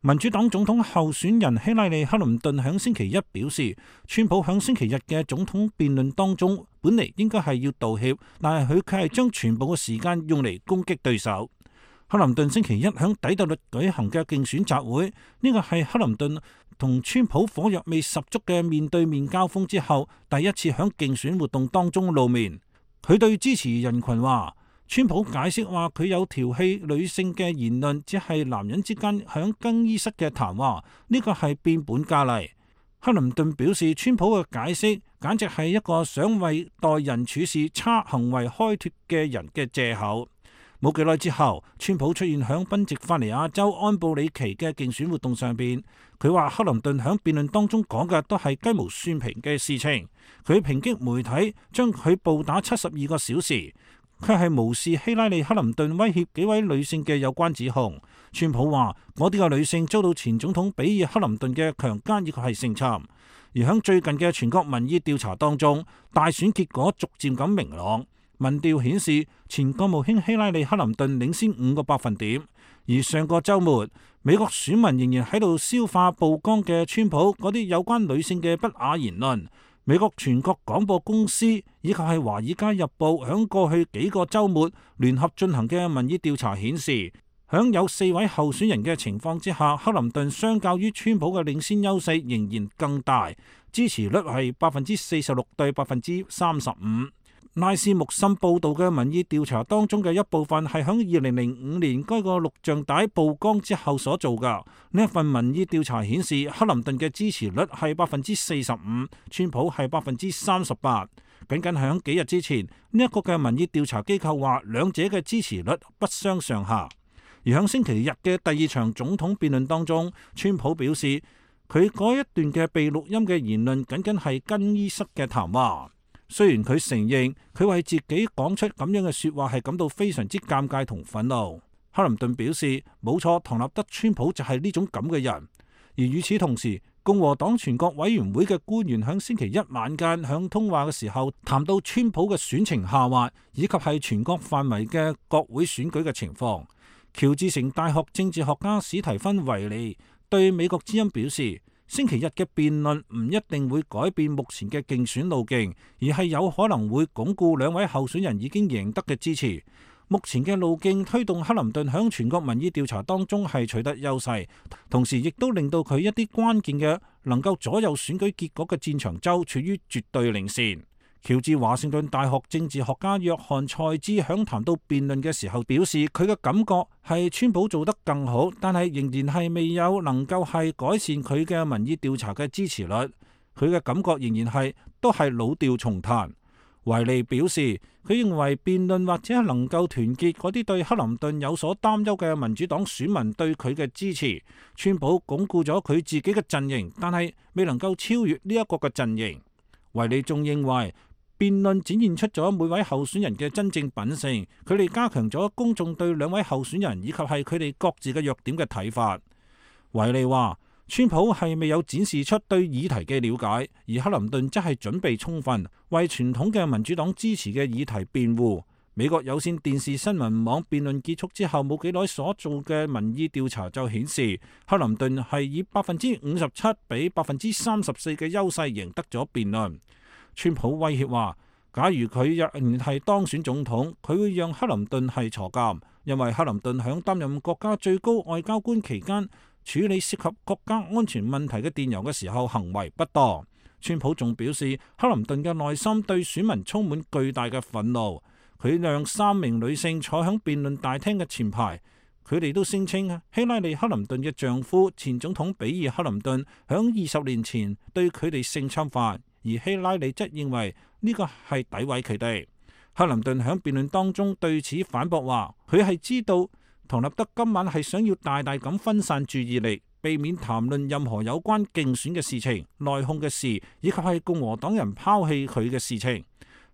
民主黨總統候選人希拉里·克林頓響星期一表示，川普響星期日嘅總統辯論當中本嚟應該係要道歉，但係佢卻係將全部嘅時間用嚟攻擊對手。克林頓星期一響底特律舉行嘅競選集會，呢個係克林頓同川普火藥味十足嘅面對面交鋒之後第一次響競選活動當中露面。佢對支持人群話，川普解釋話佢有調戲女性嘅言論，只係男人之間響更衣室嘅談話，呢個係變本加厲。克林頓表示，川普嘅解釋簡直係一個想為待人處事差行為開脫嘅人嘅借口。冇幾耐之後，川普出現響賓夕法尼亞州安布里奇嘅競選活動上邊，佢話克林頓響辯論當中講嘅都係雞毛蒜皮嘅事情，佢抨擊媒體將佢暴打72個小時，卻係無視希拉里·克林頓威脅幾位女性嘅有關指控。川普話嗰啲嘅女性遭到前總統比爾·克林頓嘅強姦以及係性侵。而響最近嘅全國民意調查當中，大選結果逐漸咁明朗。民調顯示前國務卿希拉里·克林頓領先5個百分點。而上個週末，美國選民仍然喺度消化曝光嘅川普嗰啲有關女性嘅不雅言論。美國全國廣播公司以及係華爾街日報響過去幾個週末聯合進行嘅民意調查顯示，響有4位候選人嘅情況之下，克林頓相較於川普嘅領先優勢仍然更大，支持率係46%對35%。拉斯穆森報道嘅民意調查當中嘅一部分係響2005年該個錄像帶曝光之後所做㗎。呢一份民意調查顯示，克林頓嘅支持率係45%，川普係38%。僅僅響幾日之前，呢一個嘅民意調查機構話兩者嘅支持率不相上下。而響星期日嘅第2場總統辯論當中，川普表示佢嗰一段嘅被錄音嘅言論僅僅係更衣室嘅談話。雖然佢承認佢為自己講出咁樣嘅說話係感到非常之尷尬同憤怒，克林頓表示冇錯，唐納德·川普就係呢種咁嘅人。而與此同時，共和黨全國委員會嘅官員喺星期一晚間響通話嘅時候，談到川普嘅選情下滑，以及係全國範圍嘅國會選舉嘅情況。喬治城大學政治學家史提芬維利對美國之音表示，星期日嘅辯論唔一定會改變目前嘅競選路徑，而係有可能會鞏固兩位候選人已經贏得嘅支持。目前嘅路徑推動克林頓響全國民意調查當中係取得優勢，同時亦都令到佢一啲關鍵嘅能夠左右選舉結果嘅戰場州處於絕對領先。喬治華盛頓大學政治學家約翰賽茲響談到辯論嘅時候表示，佢嘅感覺係川普做得更好，但係仍然係未有能夠係改善佢嘅民意調查嘅支持率。佢嘅感覺仍然係都係老調重彈。維利表示，佢認為辯論或者能夠團結嗰啲對克林頓有所擔憂嘅民主黨選民對佢嘅支持。川普鞏固咗佢自己嘅陣營，但係未能夠超越呢一個嘅陣營。維利仲認為，辯論展現出咗每位候選人嘅真正品性，佢哋加強咗公眾對兩位候選人以及係佢哋各自嘅弱點嘅睇法。維利話，川普係未有展示出對議題嘅了解，而克林頓則係準備充分，為傳統嘅民主黨支持嘅議題辯護。美國有線電視新聞網辯論結束之後冇幾耐所做嘅民意調查就顯示，克林頓係以57%比34%嘅優勢贏得咗辯論。川普威脅話，假如佢仍然係當選總統，佢會讓克林頓係坐監，因為克林頓響擔任國家最高外交官期間，處理涉及國家安全問題嘅電郵嘅時候行為不當。川普仲表示，克林頓嘅內心對選民充滿巨大嘅憤怒。佢讓3名女性坐響辯論大廳嘅前排，佢哋都聲稱希拉里·克林頓嘅丈夫前總統比爾·克林頓響20年前對佢哋性侵犯，而希拉里則認為呢個係詆毀佢哋。克林頓響辯論當中對此反駁話，佢係知道唐納德今晚係想要大大咁分散注意力，避免談論任何有關競選嘅事情、內訌嘅事，以及係共和黨人拋棄佢嘅事情。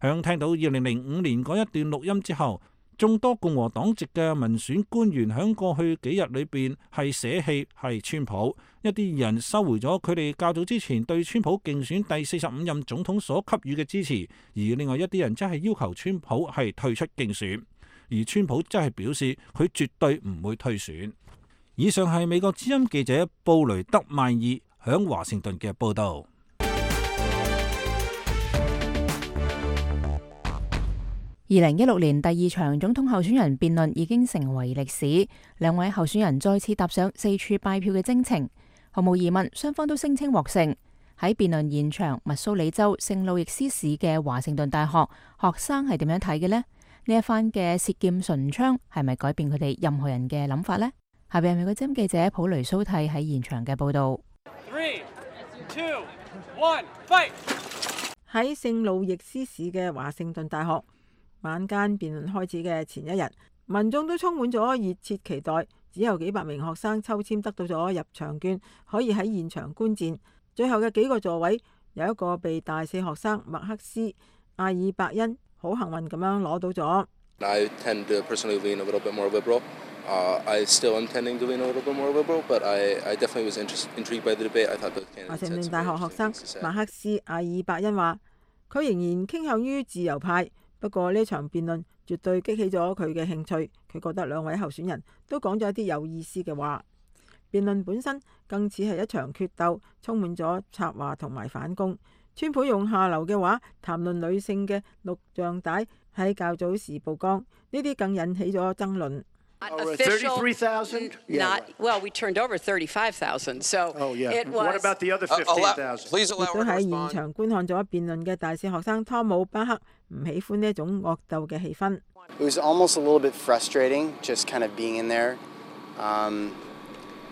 響聽到2005年嗰一段錄音之後，眾多共和黨籍嘅民選官員響過去幾日裏邊係捨棄係川普，一啲人收回咗佢哋較早之前對川普競選第45任總統所給予嘅支持，而另外一啲人則係要求川普係退出競選，而川普則係表示佢絕對唔會退選。以上係美國之音記者布雷德曼爾響華盛頓嘅報道。2016年第2場總統候選人辯論已經成為歷史，兩位候選人再次踏上四處拜票嘅征程。毫無疑問，雙方都聲稱獲勝。喺辯論現場，密蘇里州聖路易斯市嘅華盛頓大學學生係點樣睇嘅呢？呢一番嘅舌劍唇槍係咪改變佢哋任何人嘅諗法呢？下邊係美國之音記者普雷蘇蒂喺現場嘅報道。3、2、1 fight！ 喺聖路易斯市嘅華盛頓大學，晚間辯論開始嘅前一日，民眾都充滿咗熱切期待。只有幾百名學生抽籤得到咗入場券，可以喺現場觀戰。最後嘅幾個座位，有一個被大四學生麥克斯·阿爾伯恩好幸運咁樣攞到咗。I tend to personally lean a little bit more liberal. I still am tending to lean a little bit more liberal, but I definitely was intrigued by the debate. I thought the candidates. 華盛頓大學學生麥克斯·阿爾伯恩話：佢仍然傾向於自由派。不過呢場辯論絕對激起咗佢嘅興趣，佢覺得兩位候選人都講咗一啲有意思嘅話。辯論本身更似係一場決鬥，充滿咗插話同埋反攻。川普用下流嘅話談論女性嘅錄像帶喺較早時曝光，呢啲更引起咗爭論。33,000? Well, we turned over 35,000, so it was. What about the other 15,000? 亦都喺現場觀看咗辯論嘅大四學生湯姆巴克唔喜歡呢一種惡鬥嘅氣氛。It was almost a little bit frustrating, just kind of being in there.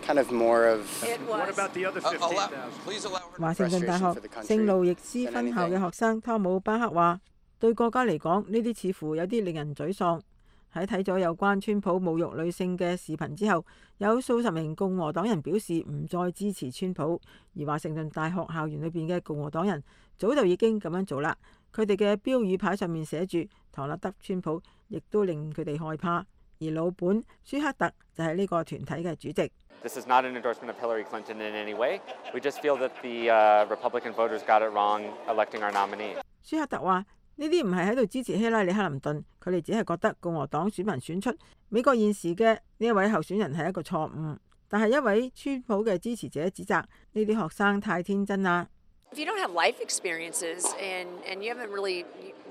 Kind of more of. What about the other 15,000? 華盛頓大學聖路易斯分校嘅學生湯姆巴克話：對國家嚟講，呢啲似乎有啲令人沮喪。喺睇咗有關川普侮辱女性嘅視頻之後，有數十名共和黨人表示唔再支持川普，而華盛頓大學校園裏邊嘅共和黨人早就已經咁樣做啦。佢哋嘅標語牌上面寫住唐納德川普，亦都令佢哋害怕。而老本舒克特就係呢個團體嘅主席。This is not an endorsement of Hillary Clinton in any way. We just feel that the Republican voters got it wrong electing our nominee. 舒克特話：呢啲唔係喺度支持希拉里克林頓，佢哋只係覺得共和黨選民選出美國現時嘅呢一位候選人係一個錯誤。但係一位川普嘅支持者指責呢啲學生太天真啦。If you don't have life experiences and you haven't really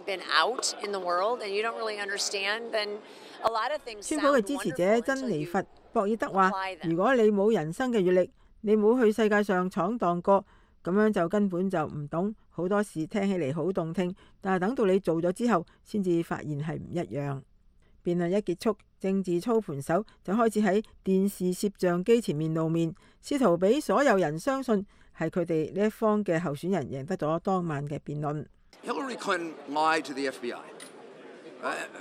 been out in the world and you don't really understand, then a lot of things sound wonderful. 川普嘅支持者珍妮佛博爾德話：如果你冇人生嘅閱歷，你冇去世界上闖蕩過，咁樣就根本就唔懂好多事，聽起嚟好動聽，但係等到你做咗之後，先至發現係唔一樣。辯論一結束，政治操盤手就開始喺電視攝像機前面露面，試圖俾所有人相信係佢哋呢一方嘅候選人贏得咗當晚嘅辯論。Hillary Clinton lied to the FBI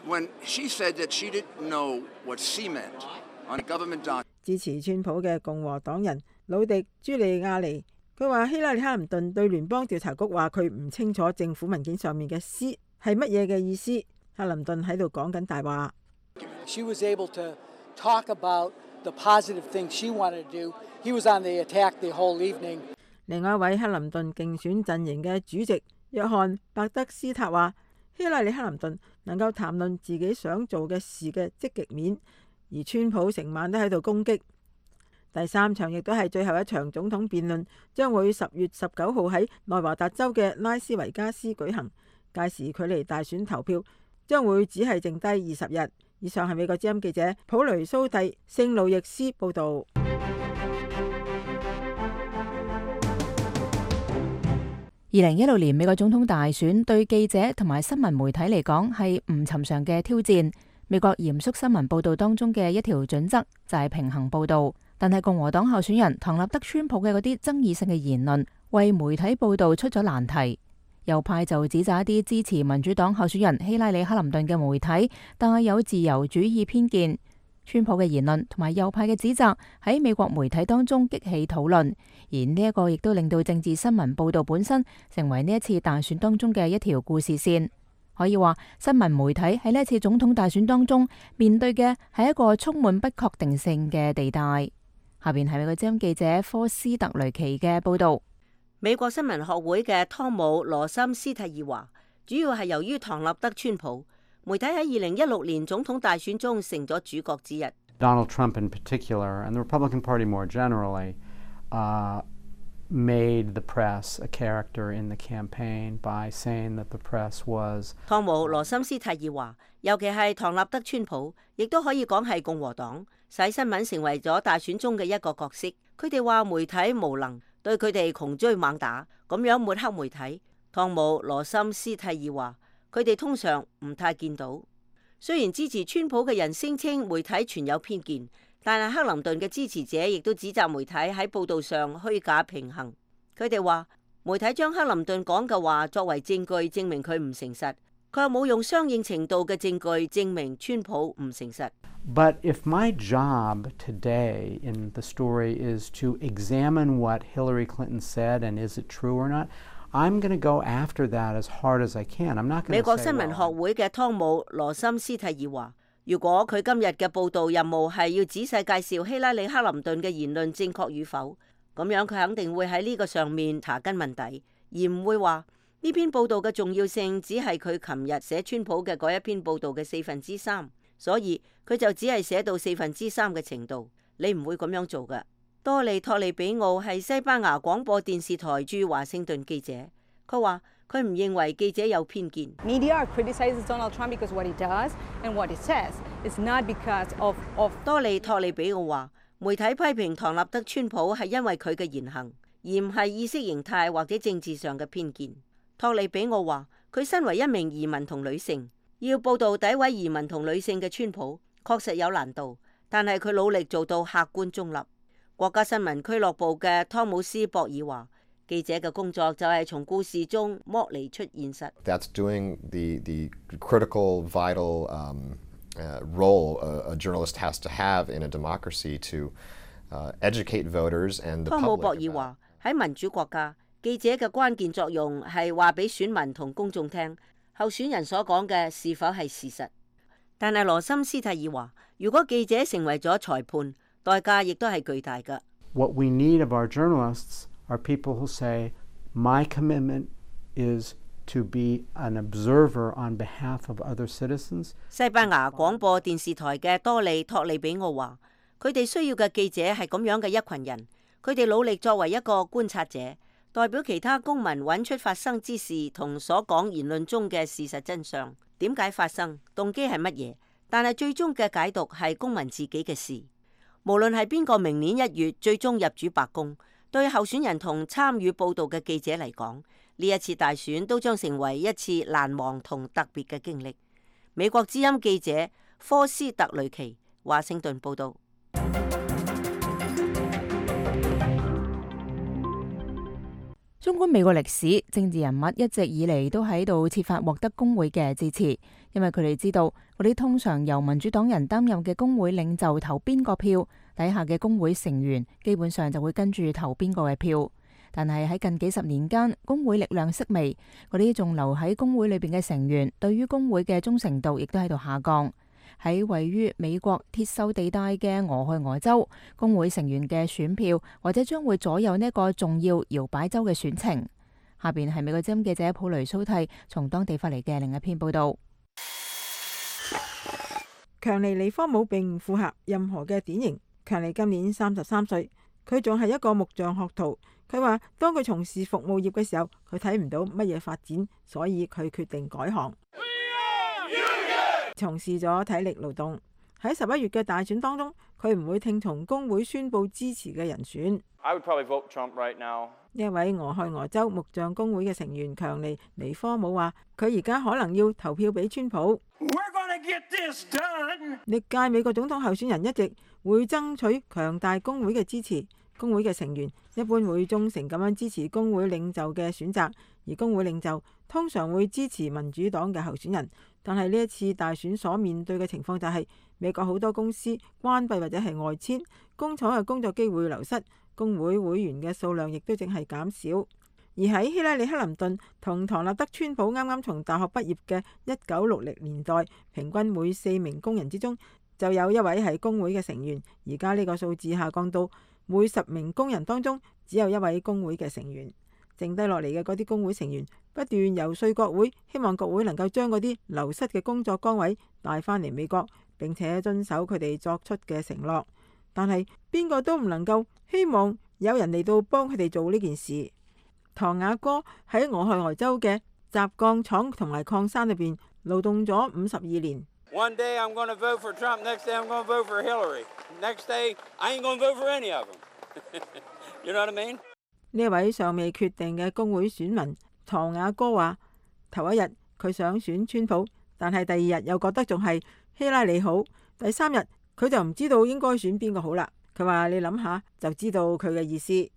when she said that she didn't know what C meant on a government document. 支持川普嘅共和黨人魯迪朱利亞尼，佢話希拉里克林頓對聯邦調查局話佢唔清楚政府文件上面嘅 C 係乜嘢嘅意思。克林頓喺度講緊大話。She was able to talk about the positive things she wanted to do. He was on the attack the whole evening. 另外一位克林頓競選陣營嘅主席約翰伯德斯塔話：希拉里克林頓能夠談論自己想做嘅事嘅積極面，而川普成晚都喺度攻擊。第三場亦都係最後一場總統辯論，將會10月19號喺內華達州嘅拉斯維加斯舉行。屆時距離大選投票將會只係剩低20日。以上係美國之音記者普雷蘇蒂聖路易斯報導。2016年美國總統大選對記者同埋新聞媒體嚟講係唔尋常嘅挑戰。美國嚴肅新聞報導當中嘅一條準則就係平衡報導，但係共和黨候選人唐納德川普嘅嗰啲爭議性嘅言論，為媒體報導出咗難題。右派就指責一啲支持民主黨候選人希拉里克林頓嘅媒體帶有自由主義偏見。川普嘅言論同埋右派嘅指責喺美國媒體當中激起討論，而呢一個亦都令到政治新聞報導本身成為呢一次大選當中嘅一條故事線。可以話，新聞媒體喺呢一次總統大選當中面對嘅係一個充滿不確定性嘅地帶。下邊係美國之音記者科斯特雷奇嘅報導。美國新聞學會嘅湯姆羅森斯蒂爾話，主要係由於唐納德川普，媒體喺2016年總統大選中成咗主角之一。Donald Trump in particular, and the Republican Party more generally, made the press a character in the campaign by saying that the press was. 湯姆羅森斯蒂爾話，尤其係唐納德川普，亦都可以講係共和黨，使新聞成為咗大選中嘅一個角色。佢哋話媒體無能，對佢哋窮追猛打，咁樣抹黑媒體。湯姆羅森斯蒂爾話，佢哋通常唔太見到。雖然支持川普嘅人聲稱媒體存有偏見，但係克林頓嘅支持者亦都指責媒體喺報導上虛假平衡。佢哋話媒體將克林頓講嘅話作為證據，證明佢唔誠實。佢又冇用相應程度嘅證據證明川普唔誠實。But if my job today in the story is to examine what Hillary Clinton said and is it true or not, I'm going to go after that as hard as I can. I'm not going to say, 美國新聞學會嘅湯姆羅森斯蒂爾話，如果佢今日嘅報導任務係要仔細介紹希拉里克林頓嘅言論正確與否，咁樣佢肯定會喺呢個上面查根問底，而唔會話呢篇報導嘅重要性只係佢琴日寫川普嘅嗰一篇報導嘅3/4，所以佢就只係寫到3/4嘅程度。你唔會咁樣做㗎。多利托利比奧係西班牙廣播電視台駐華盛頓記者，佢話佢唔認為記者有偏見。Media criticizes Donald Trump because what he does and what he says. It's not because of. 多利托利比奧話，媒體批評唐納德川普係因為佢嘅言行，而唔係意識形態或者政治上嘅偏見。托利比奧話，佢身為一名移民同女性，要報導詆毀移民同女性嘅川普，確實有難度，但係佢努力做到客觀中立。國家新聞俱樂部嘅湯姆斯博爾話，記者嘅工作就係從故事中剝離出現實。That's doing the critical, vital role a journalist has to have in a democracy to educate voters and the public. 湯姆博爾話，喺民主國家，記者嘅關鍵作用係話俾選民同公眾聽，候選人所講嘅是否係事實。但係羅森斯泰爾話，如果記者成為咗裁判，代價亦都係巨大㗎。What we need of our journalists are people who say, my commitment is to be an observer on behalf of other citizens. 西班牙廣播電視台嘅多利托利比奧話，佢哋需要嘅記者係咁樣嘅一群人，佢哋努力作為一個觀察者，代表其他公民揾出發生之事同所講言論中嘅事實真相。點解發生？動機係乜嘢？但係最終嘅解讀係公民自己嘅事。無論係邊個明年1月最終入主白宮，對候選人同參與報道嘅記者嚟講，呢一次大選都將成為一次難忘同特別嘅經歷。美國之音記者科斯特雷奇，華盛頓報道。縱觀美國歷史，政治人物一直以嚟都喺度設法獲得工會嘅支持，因為佢哋知道嗰啲通常由民主黨人擔任嘅工會領袖投邊個票，底下嘅工會成員基本上就會跟住投邊個嘅票。但係喺近幾十年間，工會力量式微，嗰啲仲留喺工會裏邊嘅成員對於工會嘅忠誠度亦都喺度下降。喺位於美國鐵鏽地帶嘅俄亥俄州，工會成員嘅選票或者將會左右呢個重要搖擺州嘅選情。下邊係美國之音記者普雷蘇蒂從當地發嚟嘅另一篇報道。強尼尼科姆並唔符合任何嘅典型。強尼今年33歲，佢仲係一個木匠學徒。佢話當佢從事服務業嘅時候，佢睇唔到乜嘢發展，所以佢決定改行。從事咗體力勞動。喺11月嘅大選當中，佢唔會聽從工會宣佈支持嘅人選。I would probably vote Trump right now. 一位俄亥俄州木匠工會嘅成員強尼尼科姆話：佢而家可能要投票俾川普。歷屆美國總統候選人一直會爭取強大工會嘅支持。工會嘅成員一般會忠誠咁樣支持工會領袖嘅選擇，而工會領袖通常會支持民主黨嘅候選人。但係呢一次大選所面對嘅情況就係美國好多公司關閉或者係外遷，工廠嘅工作機會流失，工會會員嘅數量亦都淨係減少。而喺希拉里克林頓同唐納德川普啱啱從大學畢業嘅1960年代，平均每4名工人之中就有一位係工會嘅成員。而家呢個數字下降到每10名工人當中只有一位工會嘅成員。剩低落嚟嘅嗰啲工會成員不斷遊說國會，希望國會能夠將嗰啲流失嘅工作崗位帶返嚟美國，並且遵守佢哋作出嘅承諾。但係邊個都唔能夠希望有人嚟到幫佢哋做呢件事。唐雅哥喺俄亥俄州嘅軋鋼廠同埋礦山裏邊勞動咗52年。One day I'm going to vote for Trump, next day I'm going to vote for Hillary, next day I ain't going to vote for any of them. You know what I mean? 呢位尚未決定嘅工會選民唐雅哥話：頭一日佢想選川普，但係第二日又覺得仲係希拉里好，第3日佢就唔知道應該選邊個好啦。佢話你諗下就知道佢嘅意思。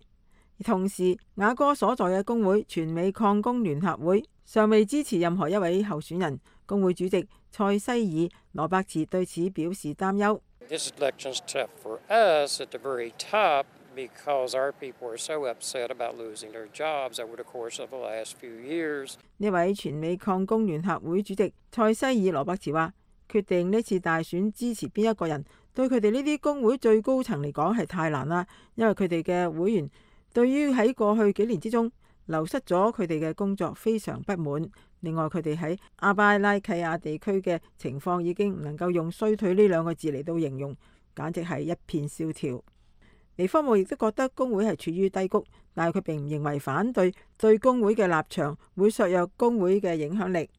同時，雅哥所在嘅工會全美礦工聯合會尚未支持任何一位候選人。工會主席塞西爾羅伯茨對此表示擔憂。This election's tough for us at the very top because our people are so upset about losing their jobs over the course of the last few years. 呢位全美礦工聯合會主席塞西爾羅伯茨話：決定呢次大選支持邊一個人，對佢哋呢啲工會最高層嚟講係太難啦，因為佢哋嘅會員對於喺過去幾年之中流失咗佢哋嘅工作非常不滿。另外，佢哋喺阿巴拉契亞地區嘅情況已經唔能夠用衰退呢2個字嚟到形容，簡直係一片蕭條。尼科姆亦都覺得工會係處於低谷，但係佢並唔認為反對對工會嘅立場會削弱工會嘅影響力。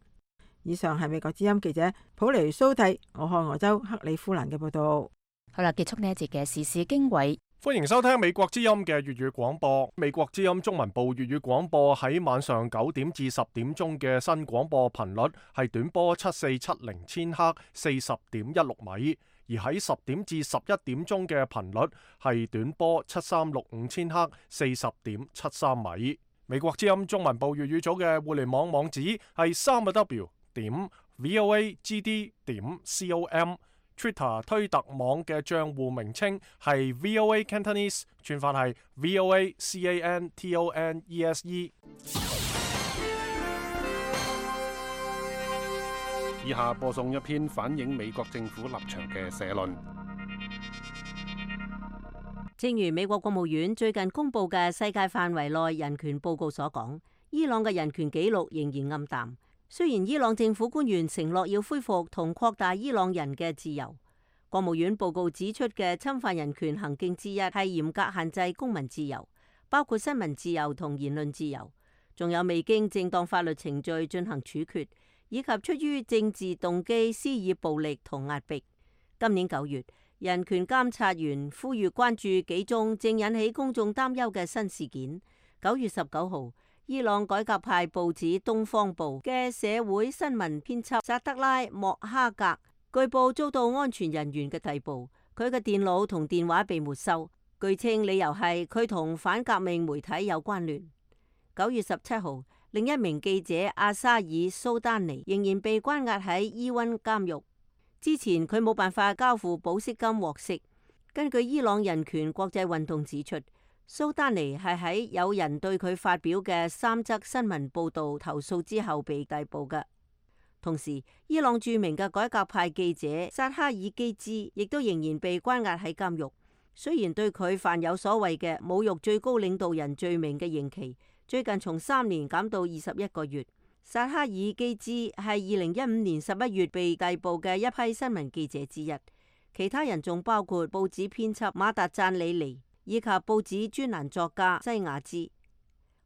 以上係美國之音記者普雷蘇蒂俄亥俄州克里夫蘭嘅報道。好啦，結束呢一節嘅時事經緯。歡迎收聽美國之音嘅粵語廣播。美國之音中文部粵語廣播喺晚上9點至10點鐘嘅新廣播頻率係短波7470千赫40.16米，而喺10點至11點鐘嘅頻率係短波7365千赫40.73米。美國之音中文部粵語組嘅互聯網網址係3w.voacd.com。Twitter 推特網嘅帳戶名稱係 VOA Cantonese， 串法係 VOA CANTONESE。以下播送一篇反映美國政府立場嘅社論。正如美國國務院最近公布嘅世界範圍內人權報告所講，伊朗嘅人權紀錄仍然暗淡。雖然伊朗政府官員承諾要恢復同擴大伊朗人嘅自由，國務院報告指出嘅侵犯人權行徑之一係嚴格限制公民自由，包括新聞自由同言論自由，仲有未經正當法律程序進行處決，以及出於政治動機施以暴力同壓迫。今年9月，人權監察員呼籲關注幾宗正引起公眾擔憂嘅新事件。9月19號，伊朗改革派報紙《東方報》嘅社會新聞編輯薩德拉莫哈格據報遭到安全人員嘅逮捕，佢嘅電腦同電話被沒收，據稱理由係佢同反革命媒體有關聯。9月17號，另一名記者阿沙爾蘇丹尼仍然被關押喺伊溫監獄。之前佢冇辦法交付保釋金獲釋。根據伊朗人權國際運動指出，蘇丹尼係喺有人對佢發表嘅3則新聞報導投訴之後被逮捕嘅。同時，伊朗著名嘅改革派記者薩哈爾基茲亦都仍然被關押喺監獄。雖然對佢犯有所謂嘅侮辱最高領導人罪名嘅刑期，最近從3年減到21個月。薩哈爾基茲係2015年11月被逮捕嘅一批新聞記者之一，其他人仲包括報紙編輯馬達贊里尼以及報紙專欄作家西亞茲。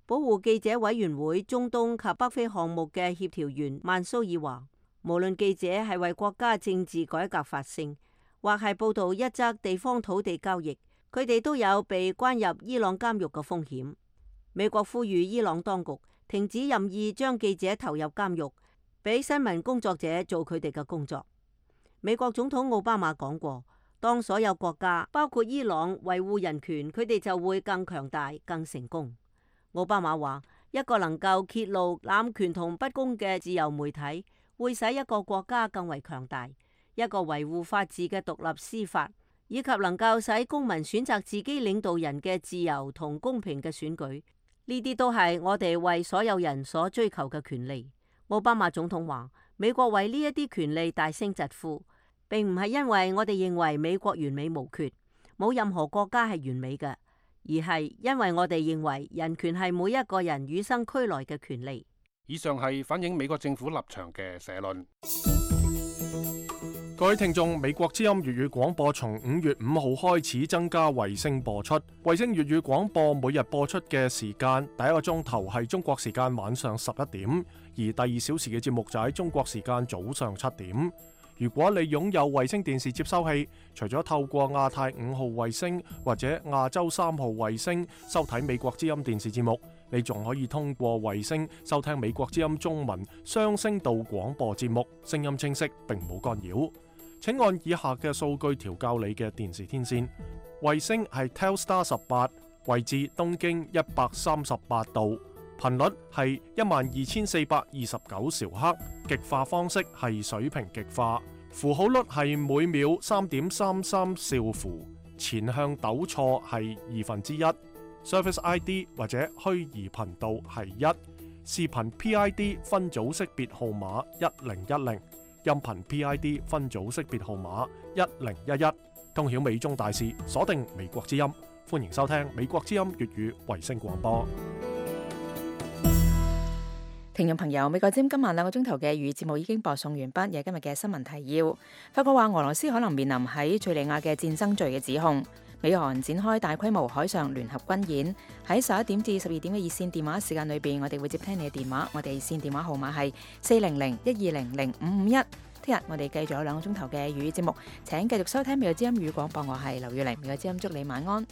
保護記者委員會中東及北非項目嘅協調員曼蘇爾話，無論記者係為國家政治改革發聲，或係報導一則地方土地交易，佢哋都有被關入伊朗監獄嘅風險。美國呼籲伊朗當局停止任意將記者投入監獄，俾新聞工作者做佢哋嘅工作。美國總統奧巴馬講過，當所有國家包括伊朗維護人權，佢哋就會更強大、更成功。奧巴馬話，一個能夠揭露濫權同不公嘅自由媒體，會使一個國家更為強大。一個維護法治嘅獨立司法，以及能夠使公民選擇自己領導人嘅自由同公平嘅選舉，呢啲都係我哋為所有人所追求嘅權利。奧巴馬總統話，美國為呢一啲權利大聲疾呼，並唔係因為我哋認為美國完美無缺，冇任何國家係完美嘅，而係因為我哋認為人權係每一個人與生俱來嘅權利。以上係反映美國政府立場嘅社論。各位聽眾，美國之音粵語廣播從5月5號開始增加衛星播出。衛星粵語廣播每日播出嘅時間，第一個鐘頭係中國時間晚上11點，而第2小時嘅節目就喺中國時間早上7點。如果你擁有衛星電視接收器，除咗透過亞太5號衛星或者亞洲3號衛星收睇美國之音電視節目，你仲可以通過衛星收聽美國之音中文雙聲道廣播節目，聲音清晰並冇干擾。請按以下嘅數據調校你嘅電視天線。衛星係 Telstar 18，位置東經138度，頻率係12429兆赫，極化方式係水平極化，符號率係每秒3.33兆符，前向糾錯係1/2， Service ID 或者虛擬頻道係1，視頻 PID 分組識別號碼1010。音頻 PID 分組識別號碼1011，通曉美中大事，鎖定美國之音，歡迎收聽美國之音粵語衛星廣播。聽眾朋友，美國之音今晚2個鐘頭嘅粵語節目已經播送完畢，有今日嘅新聞提要。法國話俄羅斯可能面臨喺敘利亞嘅戰爭罪嘅指控。美韓展開大規模海上聯合軍演，喺11點至12點嘅熱線電話時間裏邊，我哋會接聽你嘅電話。我哋熱線電話號碼係400-120-0551。聽日我哋繼續有2個鐘頭嘅粵語節目，請繼續收聽美國之音語廣播。我係劉月玲，美國之音祝你晚安。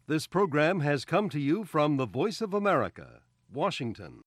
This program has come to you from the Voice of America, Washington.